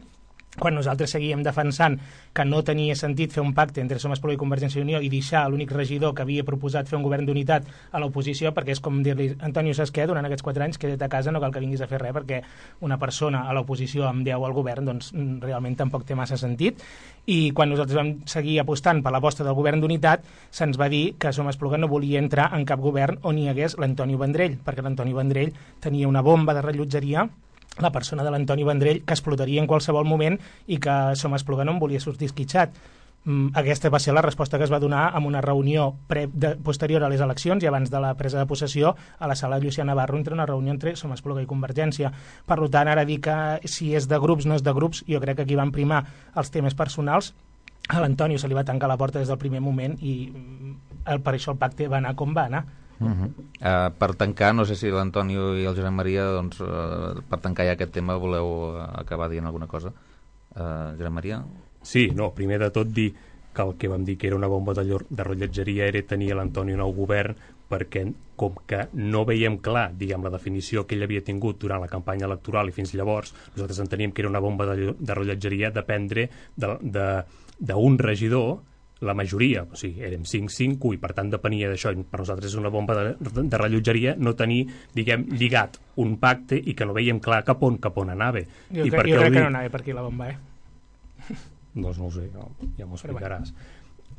quan nosaltres seguíem defensant que no tenia sentit fer un pacte entre Som Espluga i Convergència i Unió i deixar l'únic regidor que havia proposat fer un govern d'unitat a l'oposició, perquè és com dir-li Antonio, saps què? Durant aquests 4 anys queda't a casa, no cal que vinguis a fer res perquè una persona a l'oposició amb 10 al govern doncs realment tampoc té massa sentit. I quan nosaltres vam seguir apostant per l'aposta del govern d'unitat se'ns va dir que Som Espluga no volia entrar en cap govern on hi hagués l'Antonio Vendrell, perquè l'Antonio Vendrell tenia una bomba de rellotgeria, la persona de l'Antoni Vendrell, que explotaria en qualsevol moment i que Som Espluga no en volia sortir esquitxat. Aquesta va ser la resposta que es va donar en una reunió posterior a les eleccions i abans de la presa de possessió a la sala Llucià Navarro, entre una reunió entre Som Espluga i Convergència. Per tant, ara dir que si és de grups no és de grups, jo crec que aquí van primar els temes personals. A l'Antonio se li va tancar la porta des del primer moment i per això el pacte va anar com va anar. Per tancar, no sé si l'Antonio i el Josep Maria doncs, per tancar ja aquest tema voleu acabar dient alguna cosa. Josep Maria? Sí, no, primer de tot dir que el que vam dir que era una bomba de rellotgeria era tenir l'Antonio nou govern perquè com que no veiem clar, diguem, la definició que ell havia tingut durant la campanya electoral i fins llavors, nosaltres enteníem que era una bomba de rellotgeria dependre d'un regidor, la majoria, o sigui, érem 5-5 i per tant depenia d'això, i per nosaltres és una bomba de rellotgeria no tenir, diguem, lligat un pacte i que no veiem clar cap on anava. Jo crec que no anava per aquí la bomba, Doncs no ho sé, ja m'ho explicaràs.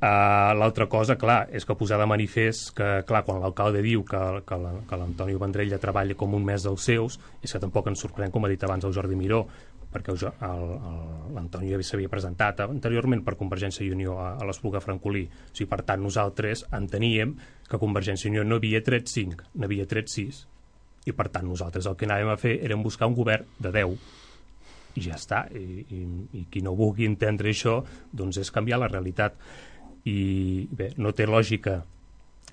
L'altra cosa, clar, és que posar de manifest que, clar, quan l'alcalde diu que l'Antonio Vendrell ja treballa com un mes dels seus, és que tampoc ens sorprèn, com ha dit abans el Jordi Miró, perquè l'Antonio s'havia presentat anteriorment per Convergència i Unió a l'Espluga Francolí. O sigui, per tant, nosaltres enteníem que Convergència i Unió no havia tret 5, n'havia tret 6. I per tant, nosaltres el que anàvem a fer era buscar un govern de 10. I ja està. I qui no vulgui entendre això, doncs és canviar la realitat. I bé, no té lògica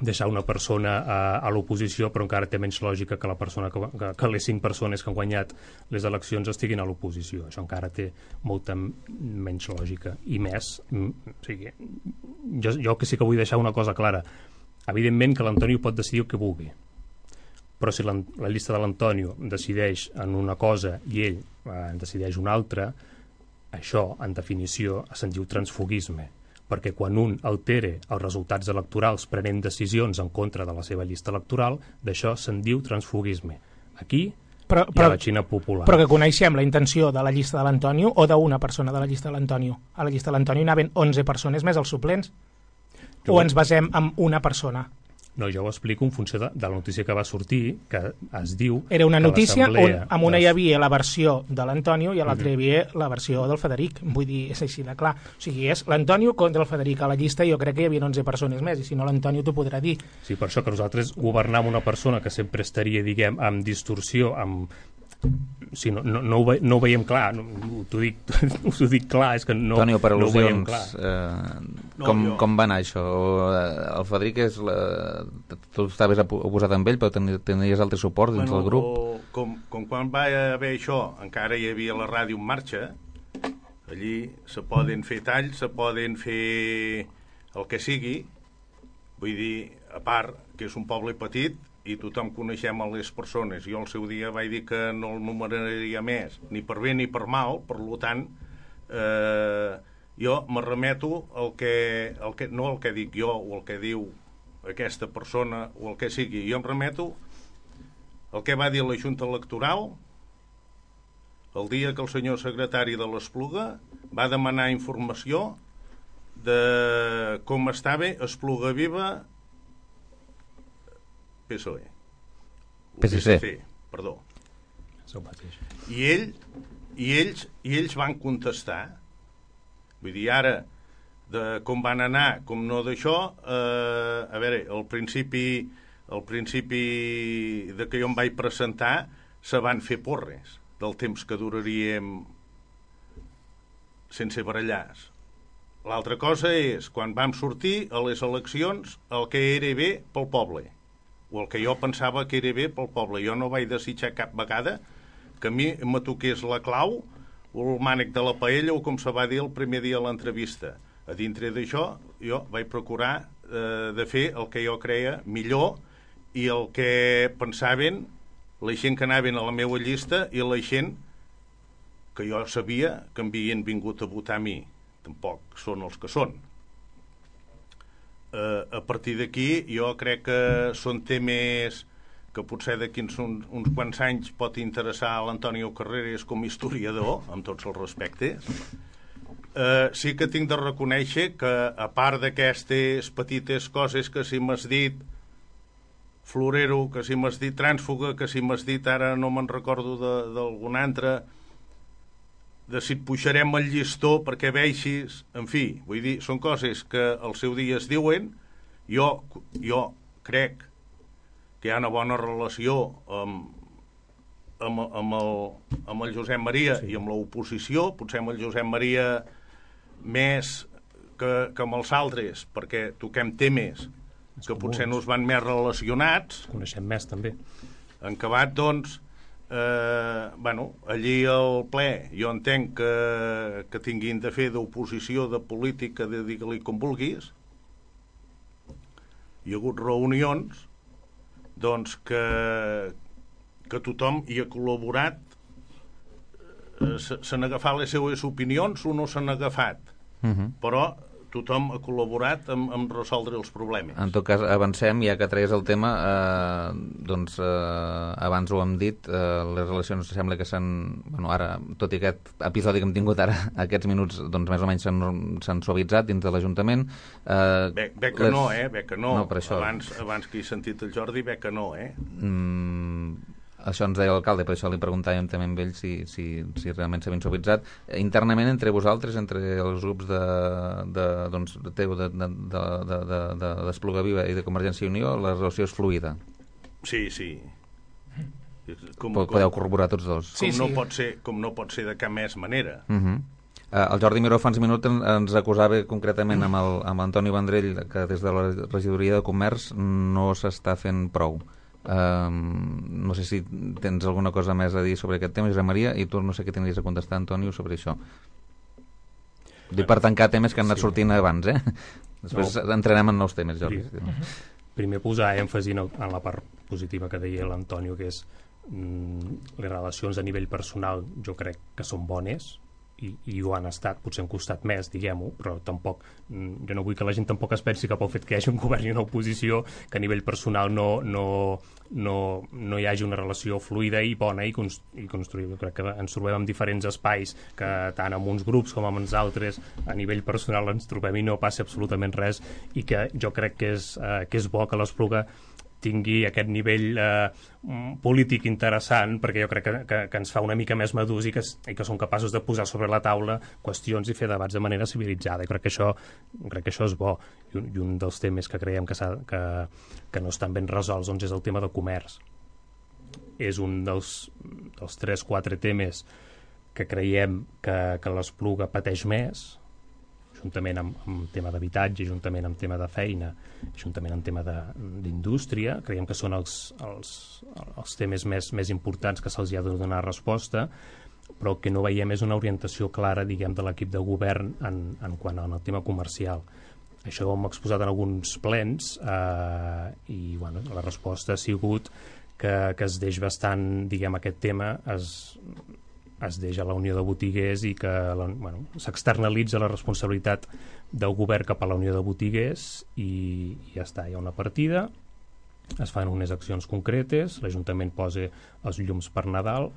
deixar una persona a l'oposició, però encara té menys lògica que la persona que les 5 persones que han guanyat les eleccions estiguin a l'oposició. Això encara té molta menys lògica. I més, o sigui, jo que sí que vull deixar una cosa clara. Evidentment que l'Antonio pot decidir el que vulgui, però si la llista de l'Antonio decideix en una cosa i ell decideix una altra, això, en definició, se'n diu transfuguisme, perquè quan un altere els resultats electorals prenent decisions en contra de la seva llista electoral, d'això se'n diu transfuguisme. Aquí hi ha la Xina popular. Però que coneixem la intenció de la llista de l'Antonio o d'una persona de la llista de l'Antonio. A la llista de l'Antonio anaven 11 persones més els suplents. O ens basem en una persona? No, jo ho explico en funció de la notícia que va sortir, que es diu... Era una notícia on amb una hi hi havia la versió de l'Antonio i a l'altra hi havia la versió del Federic. Vull dir, és així de clar. O sigui, és l'Antonio contra el Federic. A la llista jo crec que hi havia 11 persones més, i si no l'Antonio t'ho podrà dir. Sí, per això que nosaltres governar amb una persona que sempre estaria, diguem, amb distorsió, amb... Sí, no ho veiem clar, t'ho dic clar, és que no, Antonio, per no ho veiem al·lusions, clar. com va anar això? El Federic tu estaves oposat amb ell, però tenies altre suport dins del grup? Com quan va haver això, encara hi havia la ràdio en marxa, allí se poden fer talls, se poden fer el que sigui, vull dir, a part que és un poble petit i tothom coneixem a les persones. Jo al seu dia vaig dir que no el numeraria més, ni per bé ni per mal, per tant, jo me remeto no el que dic jo o el que diu aquesta persona o el que sigui, jo em remeto el que va dir la Junta Electoral el dia que el senyor secretari de l'Espluga va demanar informació de com estava Espluga Viva PSOE. PSC. Perdó. I ells van contestar. Vull dir, ara, de com van anar, com no d'això, a veure, al principi de que jo em vaig presentar se van fer porres del temps que duraríem sense barallars. L'altra cosa és, quan vam sortir a les eleccions, el que era bé pel poble, o el que jo pensava que era bé pel poble. Jo no vaig desitjar cap vegada que a mi me toqués la clau o el mànec de la paella o com se va dir el primer dia a l'entrevista. A dintre d'això jo vaig procurar de fer el que jo creia millor i el que pensaven la gent que anaven a la meva llista i la gent que jo sabia que havien vingut a votar a mi. Tampoc són els que són. A partir d'aquí jo crec que són temes que potser d'aquí uns quants anys pot interessar a l'Antonio Carreras com a historiador, amb tots els respectes. Sí que tinc de reconèixer que a part d'aquestes petites coses que si m'has dit florero, que si m'has dit trànsfuga, que si m'has dit ara no me'n recordo d'algun altre, de si et pujarem el llistó perquè veixis, en fi, vull dir, són coses que al seu dia es diuen. Jo crec que hi ha una bona relació amb el Josep Maria i amb l'oposició, potser amb el Josep Maria més que amb els altres, perquè toquem temes que potser no es van més relacionats. Coneixem més, també. En acabat, doncs, allí al ple jo entenc que tinguin de fer d'oposició, de política, de digue-li com vulguis. Hi ha hagut reunions doncs que tothom hi ha col·laborat, s'han agafat les seues opinions o no s'han agafat, però tothom ha col·laborat en resoldre els problemes. En tot cas, avancem, ja que traies el tema, abans ho hem dit, les relacions sembla que s'han... ara, tot i aquest episodi que hem tingut ara, aquests minuts, doncs més o menys s'han suavitzat dins de l'Ajuntament. Bé que no, bé que no. No, per això. Abans que he sentit el Jordi, bé que no, Això ens deia l'alcalde, per això li preguntàvem també amb ell si realment s'havien suavitzat. Internament, entre vosaltres, entre els grups d'Espluga Viva i de Convergència i Unió, la relació és fluida. Sí. Podeu corroborar tots dos. Com no pot ser de cap més manera. El Jordi Miró fa uns minuts ens acusava concretament amb l'Antoni Vendrell que des de la regidoria de Comerç no s'està fent prou. No sé si tens alguna cosa més a dir sobre aquest tema, Josep Maria, i tu no sé què tindries a contestar, Antonio, sobre això. Dic per tancar temes que han anat sortint abans, Després entrarem en nous temes, Jordi. Primer posar èmfasi en la part positiva que deia l'Antonio, que és les relacions a nivell personal jo crec que són bones i ho han estat, potser han costat més, diguem-ho, però tampoc, jo no vull que la gent tampoc es pensi que pel fet que hi hagi un govern i una oposició, que a nivell personal no hi hagi una relació fluida i bona i construïda. Crec que ens trobem en diferents espais, que tant amb uns grups com amb els altres a nivell personal ens trobem i no passa absolutament res, i que jo crec que és bo que l'Espluga tingui aquest nivell polític interessant, perquè jo crec que ens fa una mica més madurs i que som capaços de posar sobre la taula qüestions i fer debats de manera civilitzada. I crec que això és bo. I un dels temes que creiem que no estan ben resolts doncs és el tema de comerç. És un dels 3-4 temes que creiem que l'Espluga pateix més, juntament amb tema d'habitatge, juntament amb tema de feina, juntament amb tema d'indústria. Creiem que són els temes més importants que se'ls ha de donar resposta, però el que no veiem és una orientació clara, diguem, de l'equip de govern en quant al tema comercial. Això ho hem exposat en alguns plens i bueno, la resposta ha sigut que es deix bastant, diguem, aquest tema es deixa la Unió de Botiguers i que s'externalitza la responsabilitat del govern cap a la Unió de Botiguers i ja està, hi ha una partida, es fan unes accions concretes, l'Ajuntament posa els llums per Nadal,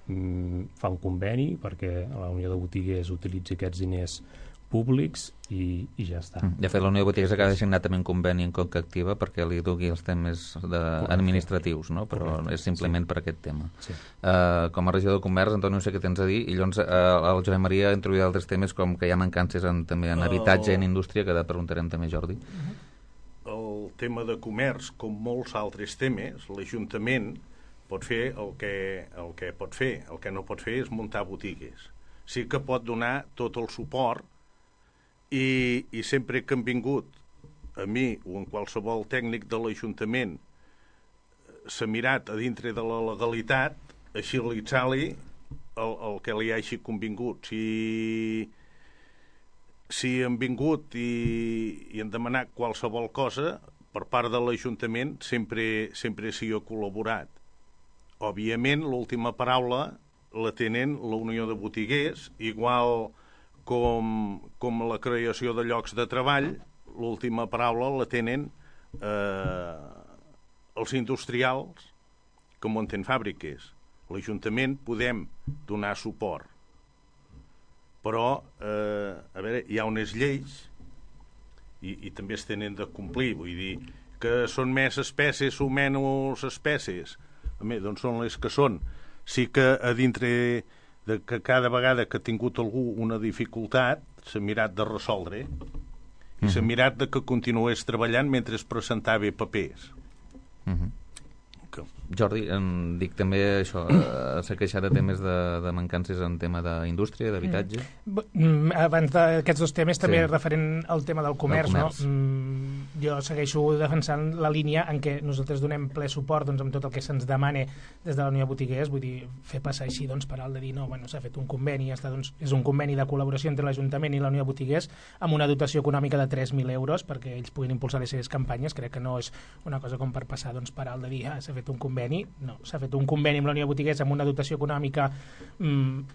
fa un conveni perquè la Unió de Botiguers utilitzi aquests diners públics i ja està. De fet, la Unió de Botigues acaba de signar també un conveni en Conca Activa perquè li dugui els temes administratius, no? Però és simplement per aquest tema. Sí. Com a regidor de Comerç, Antoni, no sé què tens a dir, i llavors el Josep Maria ha introduït altres temes com que hi ha mancances també en habitatge i en indústria, que preguntarem també, Jordi. El tema de comerç, com molts altres temes, l'Ajuntament pot fer el que pot fer. El que no pot fer és muntar botigues. Sí que pot donar tot el suport i sempre que han vingut a mi o en qualsevol tècnic de l'Ajuntament s'ha mirat a dintre de la legalitat agilitzar-li el que li hagi convingut. Si han vingut i han demanat qualsevol cosa, per part de l'Ajuntament sempre s'hi ha col·laborat. Òbviament, l'última paraula la tenen la Unió de Botiguers, igual com la creació de llocs de treball, l'última paraula la tenen els industrials que munten fàbriques. L'Ajuntament podem donar suport, però a veure, hi ha unes lleis i també es tenen de complir, vull dir que són més espècies o menys espècies, doncs són les que són. Sí que a dintre de que cada vegada que ha tingut algú una dificultat s'ha mirat de resoldre i s'ha mirat de que continués treballant mentre es presentava papers. Jordi, dic també això, s'ha queixat de temes de mancances en tema d'indústria, d'habitatge. Abans d'aquests dos temes també referent al tema del comerç, no? Jo segueixo defensant la línia en què nosaltres donem ple suport amb tot el que se'ns demane des de la Unió de Botiguers, vull dir, fer passar així per alt de dir, no, s'ha fet un conveni, és un conveni de col·laboració entre l'Ajuntament i la Unió de Botiguers amb una dotació econòmica de 3.000 euros perquè ells puguin impulsar les seves campanyes. Crec que no és una cosa com per passar per alt de dir, s'ha fet un conveni. No, s'ha fet un conveni amb la Unió de Botiguers amb una dotació econòmica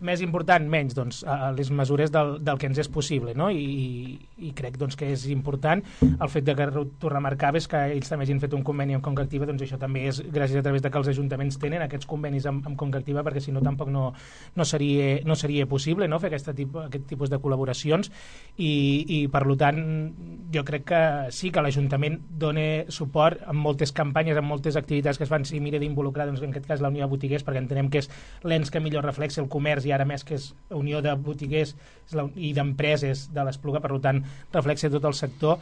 més important, menys, a les mesures del que ens és possible, no? I crec que és important el fet que tu remarcaves que ells també hagin fet un conveni amb Conca Activa, doncs això també és gràcies a través de que els ajuntaments tenen aquests convenis amb Conca Activa, perquè si no tampoc no seria possible, no?, fer aquest tipus de col·laboracions i per tant jo crec que sí que l'Ajuntament dona suport en moltes campanyes, en moltes activitats que es fan, si mira d'involucrar en aquest cas la Unió de Botiguers, perquè entenem que és l'ens que millor reflexa el comerç i ara més que és Unió de Botiguers i d'empreses de l'Espluga, per tant reflexa tot el sector.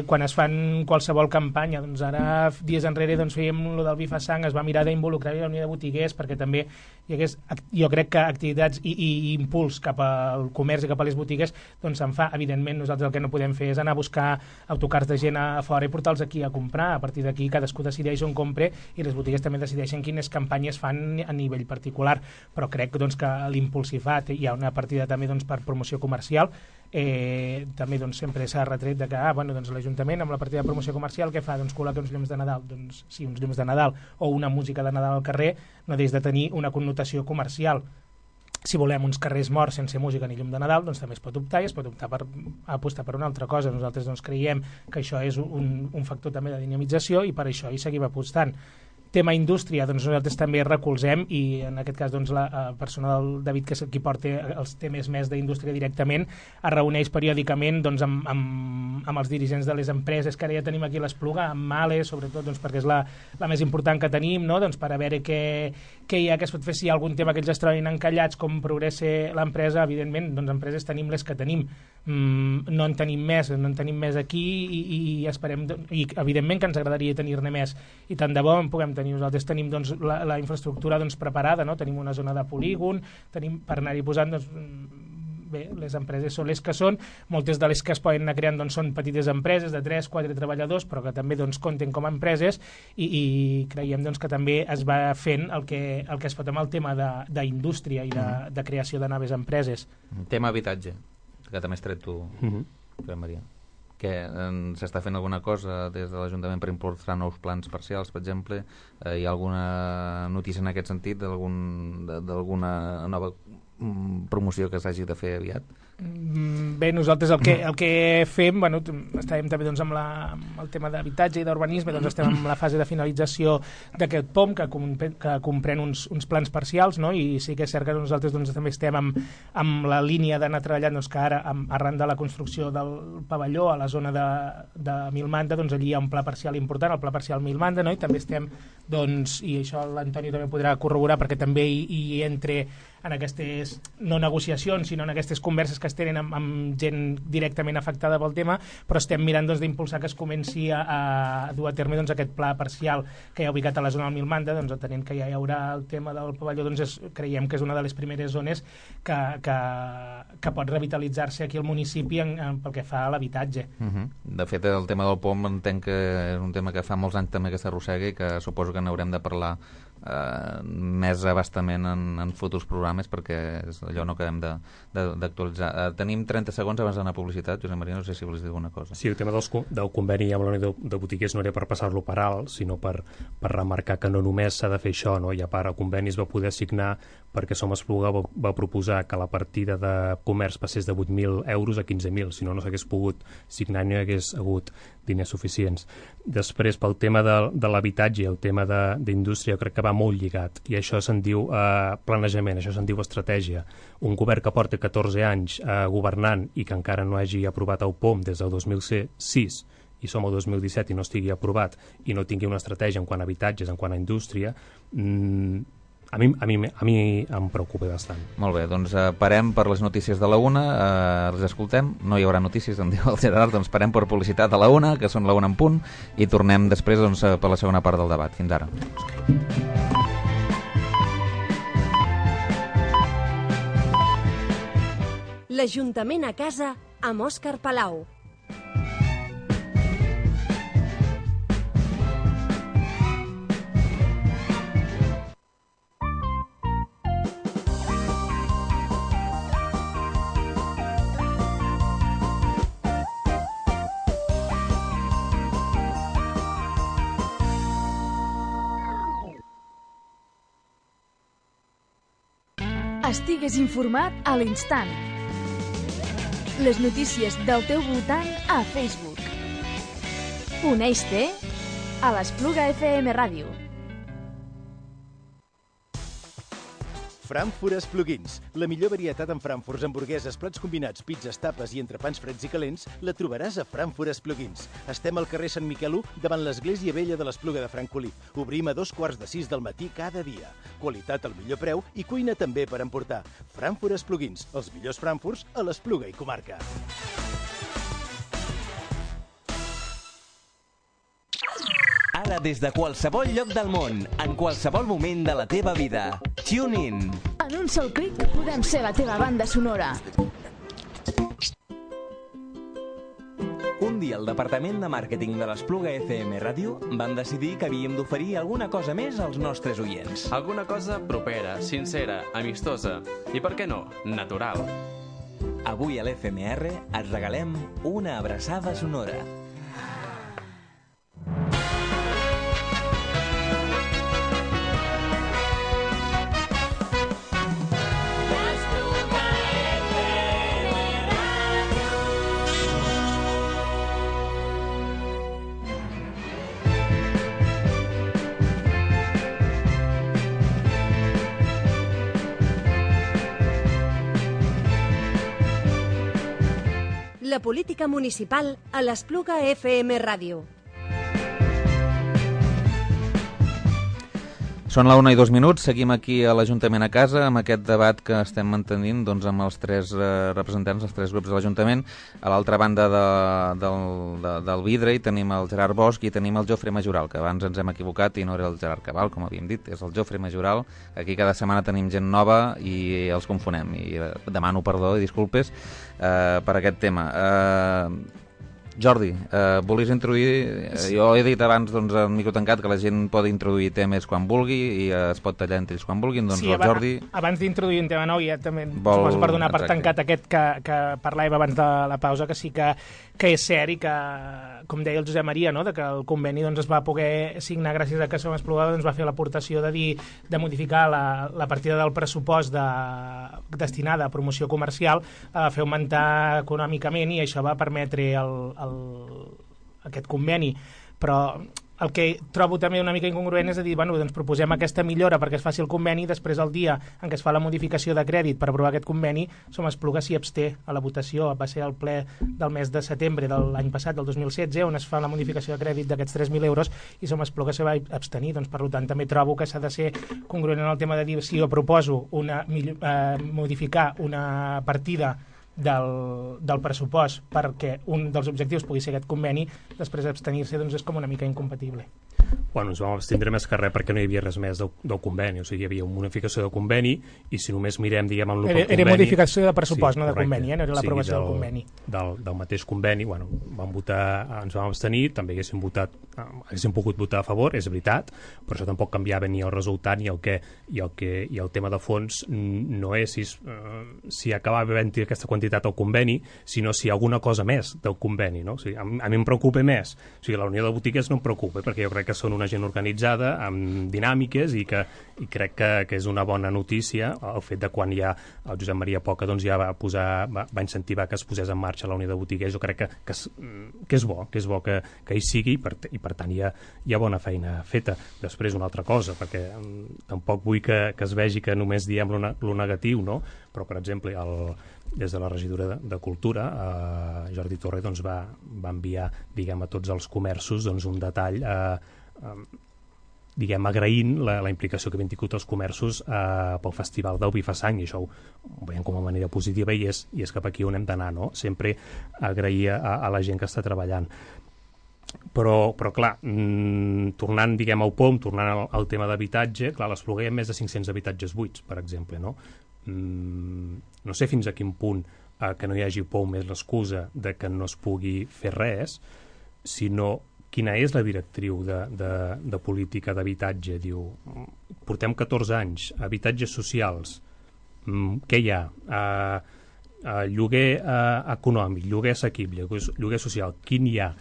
Quan es fan qualsevol campanya, ara dies enrere fèiem el del Bifa Sang, es va mirar d'involucrar la Unió de Botiguers perquè també hi hagués, jo crec que activitats i impuls cap al comerç i cap a les botigues se'n fa. Evidentment nosaltres el que no podem fer és anar a buscar autocars de gent a fora i portar-los aquí a comprar. A partir d'aquí cadascú decideix on compre i les botigues també decideixen quines campanyes fan a nivell particular, però crec que l'impuls s'hi fa. Hi ha una partida també per promoció comercial, també sempre s'ha retret de que l'Ajuntament amb la partida de promoció comercial què fa? Col·loca uns llums de Nadal. Sí, uns llums de Nadal o una música de Nadal al carrer no deix de tenir una connotació comercial. si volem uns carrers morts sense música ni llum de Nadal, doncs també es pot optar i es pot optar per apostar per una altra cosa. Nosaltres doncs creiem que això és un factor també de dinamització i per això hi seguim apostant. Tema indústria, doncs nosaltres també recolzem i en aquest cas doncs la persona del David, que és qui porta els temes més d'indústria directament, es reuneix periòdicament doncs, amb els dirigents de les empreses que ara ja tenim aquí a l'Espluga, amb Male, sobretot doncs, perquè és la més important que tenim, no? Doncs per a veure què hi ha, què es pot fer, si hi ha algun tema que ells es trobin encallats, com progressa l'empresa. Evidentment, doncs empreses tenim les que tenim, no en tenim més aquí i esperem, i evidentment que ens agradaria tenir-ne més, i tant de bo en puguem tenir. Nosaltres tenim doncs, la infraestructura doncs, preparada, no? Tenim una zona de polígon, tenim per anar-hi posant, doncs, bé, les empreses són les que són, moltes de les que es poden anar creant doncs, són petites empreses de 3-4 treballadors, però que també doncs, compten com a empreses i creiem doncs, que també es va fent el que es pot amb el tema d'indústria i de creació de noves empreses. Tema habitatge, que també has tret tu, Maria. Que s'està fent alguna cosa des de l'Ajuntament per impulsar nous plans parcials, per exemple? Hi ha alguna notícia en aquest sentit d'alguna nova promoció que s'hagi de fer aviat? Bé, nosaltres el que fem, bueno, estàvem també doncs, amb el tema d'habitatge i d'urbanisme, doncs estem en la fase de finalització d'aquest POM que comprèn uns plans parcials, no? I sí que és cert que nosaltres doncs, també estem amb la línia d'anar treballant, doncs, que ara arran de la construcció del pavelló a la zona de Milmanda, doncs allí hi ha un pla parcial important, el pla parcial Milmanda, no? I també estem, doncs, i això l'Antoni també podrà corroborar perquè també hi entre en aquestes, no negociacions, sinó en aquestes converses que es tenen amb gent directament afectada pel tema, però estem mirant doncs, d'impulsar que es comenci a dur a terme doncs, aquest pla parcial que hi ha ubicat a la zona del Milmanda, doncs, atenent que ja hi haurà el tema del pavelló, doncs creiem que és una de les primeres zones que pot revitalitzar-se aquí al municipi pel que fa a l'habitatge. De fet, el tema del POM entenc que és un tema que fa molts anys també que s'arrossega i que suposo que n'haurem de parlar més abastament en futurs programes perquè és allò no acabem d'actualitzar. Tenim 30 segons abans d'anar a publicitat. Josep Maria, no sé si vols dir alguna cosa. Sí, el tema del conveni amb la Unió de Botiguers no era per passar-lo per alt, sinó per remarcar que no només s'ha de fer això, no? I a part el conveni es va poder signar perquè Som Espluga va proposar que la partida de comerç passés de 8.000 euros a 15.000, si no s'hagués pogut signar i no hi hagués hagut diners suficients. Després, pel tema de l'habitatge i el tema d'indústria, jo crec que va molt lligat, i això se'n diu planejament, això se'n diu estratègia. Un govern que porta 14 anys governant i que encara no hagi aprovat el POM des del 2006 i som al 2017 i no estigui aprovat i no tingui una estratègia en quant a habitatges, en quant a indústria, a mi em preocupa bastant. Molt bé, doncs parem per les notícies de la 1, les escoltem, no hi haurà notícies, em diu el Gerard, doncs parem per publicitat a la 1, que són la 1 en punt, i tornem després doncs, per la segona part del debat. Fins ara. L'Ajuntament a casa amb Òscar Palau. Estigues informat a l'instant. Les notícies del teu voltant a Facebook. Uneix-te a l'Espluga FM Ràdio. Frankfurt Espluguins. La millor varietat en frankfurts, hamburgueses, plats combinats, pizzas, tapes i entrepans freds i calents la trobaràs a Frankfurt Espluguins. Estem al carrer Sant Miquel 1, davant l'Església Vella de l'Espluga de Francolí. Obrim a 2:45 del matí cada dia. Qualitat al millor preu i cuina també per emportar. Frankfurt Espluguins, els millors frankfurts a l'Espluga i comarca. Ara des de qualsevol lloc del món, en qualsevol moment de la teva vida. Tune in. En un sol clic podem ser la teva banda sonora. Un dia el Departament de Màrqueting de l'Espluga FM Ràdio van decidir que havíem d'oferir alguna cosa més als nostres oients. Alguna cosa propera, sincera, amistosa i, per què no, natural. Avui a l'FMR et regalem una abraçada sonora. la política municipal a l'Espluga FM Ràdio. Són la 1:02, seguim aquí a l'Ajuntament a casa amb aquest debat que estem mantenint amb els tres representants, els tres grups de l'Ajuntament. A l'altra banda del vidre hi tenim el Gerard Bosch i tenim el Jofre Majoral, que abans ens hem equivocat i no era el Gerard Cabal, com havíem dit, és el Jofre Majoral. Aquí cada setmana tenim gent nova i els confonem. I demano perdó i disculpes per aquest tema. Jordi, volies introduir... Jo he dit abans al micro tancat que la gent pot introduir temes quan vulgui i es pot tallar entre ells quan vulguin, doncs el Jordi... Abans d'introduir un tema nou, ja també suposo per donar per tancat aquest que parlàvem abans de la pausa, que sí que és cert i que, com deia el Josep Maria, no?, de que el conveni es va poder signar gràcies a que Som Espluga va fer l'aportació de modificar la partida del pressupost destinada a promoció comercial, la va fer augmentar econòmicament i això va permetre aquest conveni. Però el que trobo també una mica incongruent és a dir, doncs proposem aquesta millora perquè es faci el conveni i després el dia en què es fa la modificació de crèdit per aprovar aquest conveni, Som Espluga s'hi absté a la votació. Va ser el ple del mes de setembre de l'any passat, del 2016, on es fa la modificació de crèdit d'aquests 3.000 euros i Som Espluga se va abstenir. Doncs, per tant, també trobo que s'ha de ser congruent en el tema de dir si jo proposo modificar una partida del pressupost perquè un dels objectius pugui ser aquest conveni, després abstenir-se és com una mica incompatible. Bueno, ens vam abstindre més que res perquè no hi havia res més del conveni, o sigui, hi havia una modificació de conveni i si només mirem, diguem, el conveni... Era modificació de pressupost, no de conveni, no era l'aprovació del conveni. Del mateix conveni, bueno, ens vam abstenir, també haguéssim pogut votar a favor, és veritat, però això tampoc canviava ni el resultat ni el tema de fons no és si acabava havent-hi aquesta quantitat al conveni, sinó si hi ha alguna cosa més del conveni, no? O sigui, a mi em preocupa més, o sigui, la Unió de Botiguers no em preocupa, perquè jo crec que són una gent organitzada, amb dinàmiques, i crec que és una bona notícia el fet de quan ja el Josep Maria Poca ja va incentivar que es posés en marxa la Unió de Botiguers. Jo crec que és bo que hi sigui i per tant hi ha bona feina feta. Després una altra cosa, perquè tampoc vull que es vegi que només diem lo negatiu, no? Però, per exemple, des de la regidora de Cultura, Jordi Torre va enviar, diguem, a tots els comerços un detall diguem, agraint la implicació que havien tingut els comerços pel Festival del Vi fa Sang, i això ho veiem com a manera positiva i és cap aquí on hem d'anar, no? Sempre agrair a la gent que està treballant. Però clar, tornant, diguem, al POM, tornant al tema d'habitatge, clar, a l'Espluga hi ha més de 500 habitatges buits, per exemple, no? No sé fins a quin punt que no hi hagi POM és l'excusa de que no es pugui fer res, sinó quina és la directriu de política d'habitatge. Diu, portem 14 anys, habitatges socials, què hi ha? Lloguer econòmic, lloguer assequible, lloguer social, quin hi ha?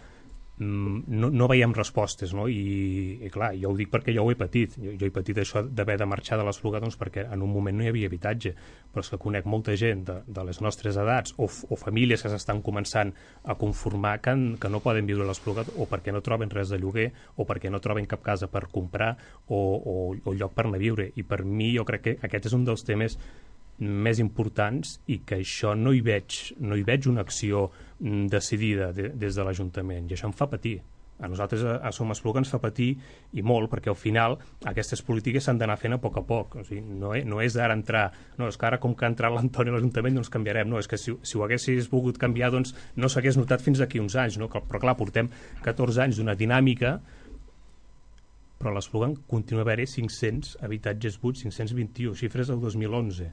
No veiem respostes, no? I clar, jo ho dic perquè jo ho he patit. Jo he patit això d'haver de marxar de l'Espluga perquè en un moment no hi havia habitatge, però és que conec molta gent de les nostres edats o famílies que s'estan començant a conformar que no poden viure a l'Espluga o perquè no troben res de lloguer o perquè no troben cap casa per comprar o lloc per anar a viure. I per mi jo crec que aquest és un dels temes més importants i que això no hi veig una acció decidida des de l'Ajuntament, i això em fa patir. A nosaltres a Som Espluga ens fa patir i molt, perquè al final aquestes polítiques s'han d'anar fent a poc. O sigui, no és ara entrar, no, és que ara com que ha entrat l'Antoni a l'Ajuntament doncs canviarem, no, és que si ho haguessis volgut canviar doncs no s'hagués notat fins aquí uns anys, no? Però clar, portem 14 anys d'una dinàmica, però a l'Espluga continua a haver-hi 500 habitatges buits, 521, xifres del 2011.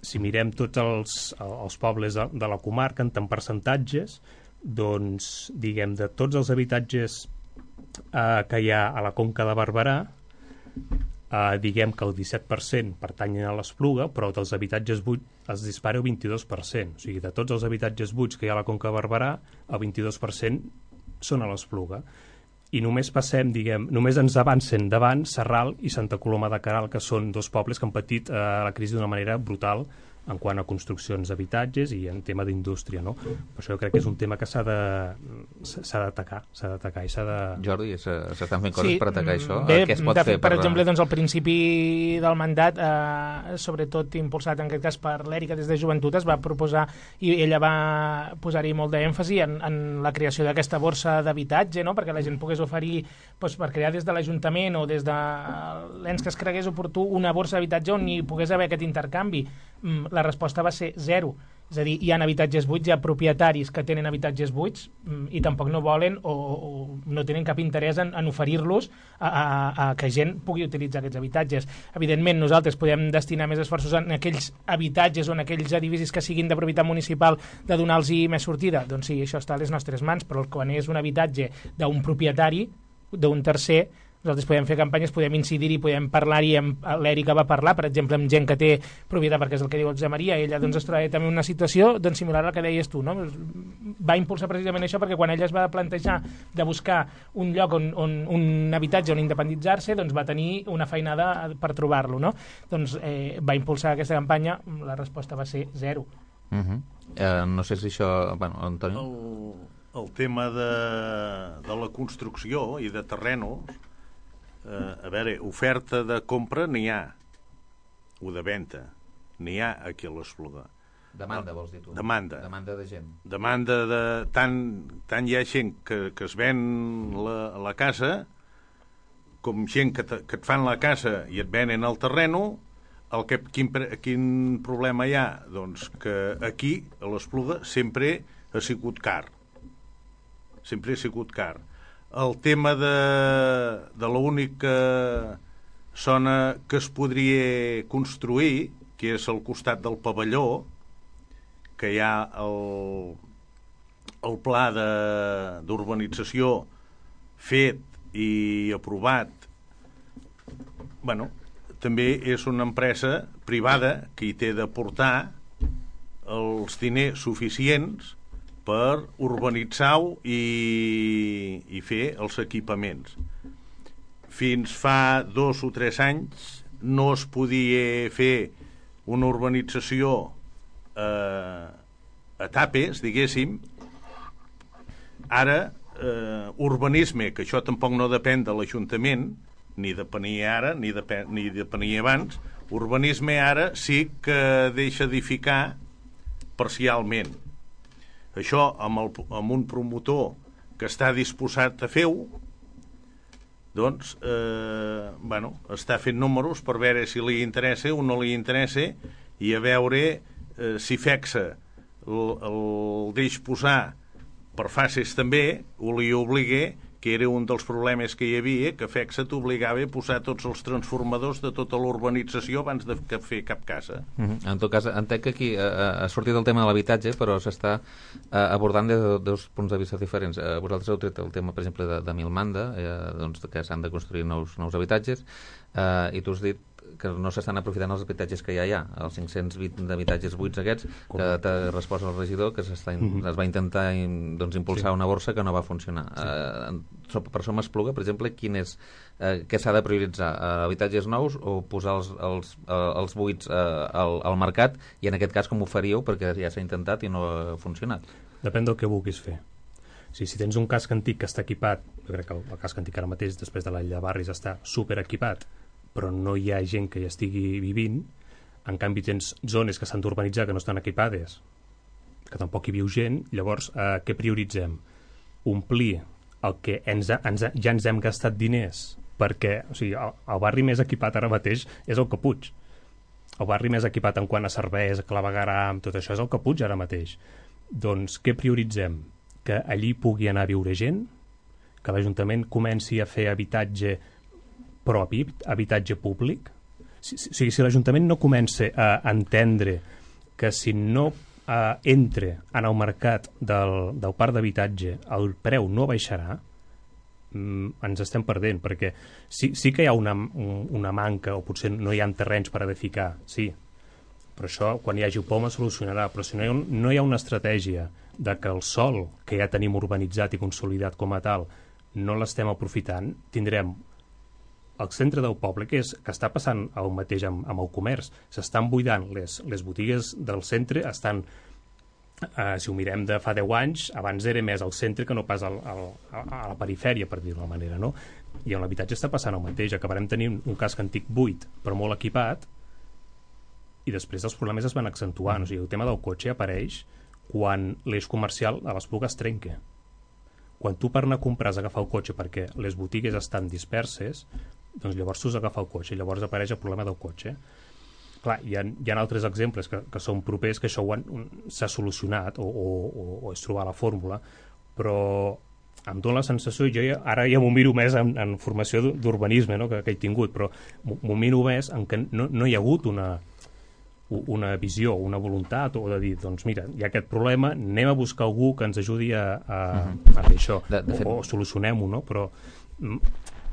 Si mirem tots els pobles de la comarca en tant percentatges, doncs, diguem, de tots els habitatges que hi ha a la Conca de Barberà, diguem que el 17% pertanyen a l'Espluga, però dels habitatges buits es dispara el 22%. O sigui, de tots els habitatges buits que hi ha a la Conca de Barberà, el 22% són a l'Espluga. I només passem, diguem, només ens avancen davant Sarral i Santa Coloma de Queralt, que són dos pobles que han patit la crisi d'una manera brutal en quant a construccions d'habitatges i en tema d'indústria, no? Per això jo crec que és un tema que s'ha d'atacar i s'ha de... Jordi, s'estan fent coses per atacar això? Bé, què es pot fer? Per exemple, doncs, al principi del mandat, sobretot impulsat en aquest cas per l'Èrica des de Joventut, es va proposar, i ella va posar-hi molt d'èmfasi en la creació d'aquesta borsa d'habitatge, no? Perquè la gent pogués oferir, doncs, per crear des de l'Ajuntament o des de l'ens que es cregués oportú una borsa d'habitatge on hi pogués haver aquest intercanvi. La resposta va ser 0. És a dir, hi ha habitatges buits, hi ha propietaris que tenen habitatges buits i tampoc no volen o no tenen cap interès en oferir-los a que gent pugui utilitzar aquests habitatges. Evidentment, nosaltres podem destinar més esforços en aquells habitatges o en aquells edificis que siguin de propietat municipal de donar-los més sortida. Doncs sí, això està a les nostres mans, però quan és un habitatge d'un propietari, d'un tercer, nosaltres podem fer campanyes, podem incidir-hi, podem parlar-hi, l'Èrica va parlar, per exemple, amb gent que té propietat, perquè és el que diu el Josep Maria, ella doncs, es troba també en una situació doncs, similar a la que deies tu, no? Va impulsar precisament això perquè quan ella es va plantejar de buscar un lloc un habitatge on independitzar-se, doncs va tenir una feinada per trobar-lo, no? Doncs va impulsar aquesta campanya, la resposta va ser 0. No sé si això... Bueno, Antonio? El tema de la construcció i de terrenos, a veure, oferta de compra n'hi ha, o de venda, n'hi ha aquí a l'Espluga. Demanda, vols dir tu? Demanda. Demanda de gent. Demanda de... Tant hi ha gent que es ven la casa, com gent que et fan la casa i et venen el terreno. Quin problema hi ha? Doncs que aquí, a l'Espluga, sempre ha sigut car. Sempre ha sigut car. El tema de l'única zona que es podria construir, que és al costat del pavelló, que hi ha el pla d'urbanització fet i aprovat, bueno, també és una empresa privada que hi té d'aportar els diners suficients per urbanitzar-ho i fer els equipaments. Fins fa 2 o 3 anys no es podia fer una urbanització a tapes, diguéssim. Ara, urbanisme, que això tampoc no depèn de l'Ajuntament, ni depenia ara, ni depenia abans, urbanisme ara sí que deixa edificar parcialment. Això, amb un promotor que està disposat a fer-ho, doncs, està fent números per veure si li interessa o no li interessa i a veure si FECSA el deix posar per fases també o li obliga, que era un dels problemes que hi havia, que FECSA t'obligava a posar tots els transformadors de tota l'urbanització abans de fer cap casa. En tot cas, entenc que aquí ha sortit el tema de l'habitatge, però s'està abordant des de 2 punts de vista diferents. Vosaltres heu tret el tema, per exemple, de Milmanda, doncs, que s'han de construir nous habitatges, i tu has dit que no s'estan aprofitant els habitatges que ja hi ha, els 520 d'habitatges buits aquests, que t'ha respost el regidor, que es va intentar impulsar una borsa que no va funcionar. Per Som Espluga, per exemple, què s'ha de prioritzar? Habitatges nous o posar els buits al mercat? I en aquest cas com ho faríeu? Perquè ja s'ha intentat i no ha funcionat. Depèn del que vulguis fer. Si tens un casc antic que està equipat, jo crec que el casc antic ara mateix, després de la Llei de Barris, està superequipat, però no hi ha gent que hi estigui vivint. En canvi tens zones que s'han d'urbanitzar que no estan equipades, que tampoc hi viu gent. Llavors, què prioritzem? Omplir el que ja ens hem gastat diners, perquè el barri més equipat ara mateix és el Caputx. El barri més equipat en quant a serveis, clavegueram, tot això és el Caputx ara mateix. Doncs què prioritzem? Que allí pugui anar a viure gent, que l'Ajuntament comenci a fer habitatge propi, habitatge públic. Si l'Ajuntament no comença a entendre que si no entra en el mercat del parc d'habitatge el preu no baixarà, ens estem perdent, perquè sí que hi ha una manca, o potser no hi ha terrenys per edificar, sí, però això quan hi hagi poma solucionarà. Però si no hi ha una estratègia de que el sòl que ja tenim urbanitzat i consolidat com a tal no l'estem aprofitant, tindrem al centre del poble, que està passant el mateix amb el comerç. S'estan buidant les botigues del centre, si ho mirem de fa 10 anys, abans era més al centre que no pas a la perifèria, per dir-ho d'una manera, no? I amb l'habitatge està passant el mateix. Acabarem tenint un casc antic buit, però molt equipat, i després els problemes es van accentuant. O sigui, el tema del cotxe apareix quan l'eix comercial a l'Espluga es trenca. Quan tu per anar a comprar has d'agafar el cotxe perquè les botigues estan disperses, doncs llavors tu has d'agafar el cotxe i llavors apareix el problema del cotxe. Clar, hi ha altres exemples que són propers que això s'ha solucionat o és trobar la fórmula, però em dóna la sensació, jo ara ja m'ho miro més en formació d'urbanisme, no?, que he tingut, però m'ho miro més en què no hi ha hagut una visió, una voluntat, o de dir, doncs mira, hi ha aquest problema, anem a buscar algú que ens ajudi a fer això, o solucionem-ho, no? Però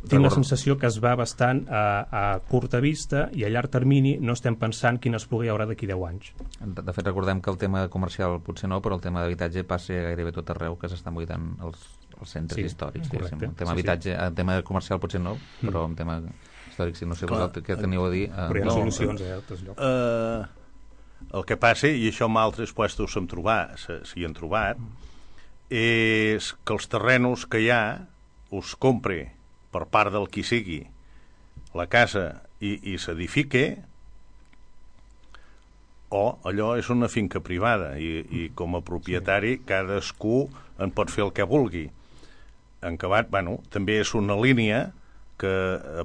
tinc la sensació que es va bastant a curta vista i a llarg termini no estem pensant quina Espluga hi haurà d'aquí 10 anys. De fet, recordem que el tema comercial potser no, però el tema d'habitatge passa gairebé tot arreu, que s'estan buidant els centres històrics. El tema habitatge, el tema comercial potser no, però el tema històric, si no sé vosaltres què teniu a dir. Però hi ha solucions a altres llocs. El que passa, i això en altres puestos s'hi han trobat, és que els terrenos que hi ha us compre per part del qui sigui la casa i s'edifique, o allò és una finca privada i com a propietari cadascú en pot fer el que vulgui. En acabat, també és una línia que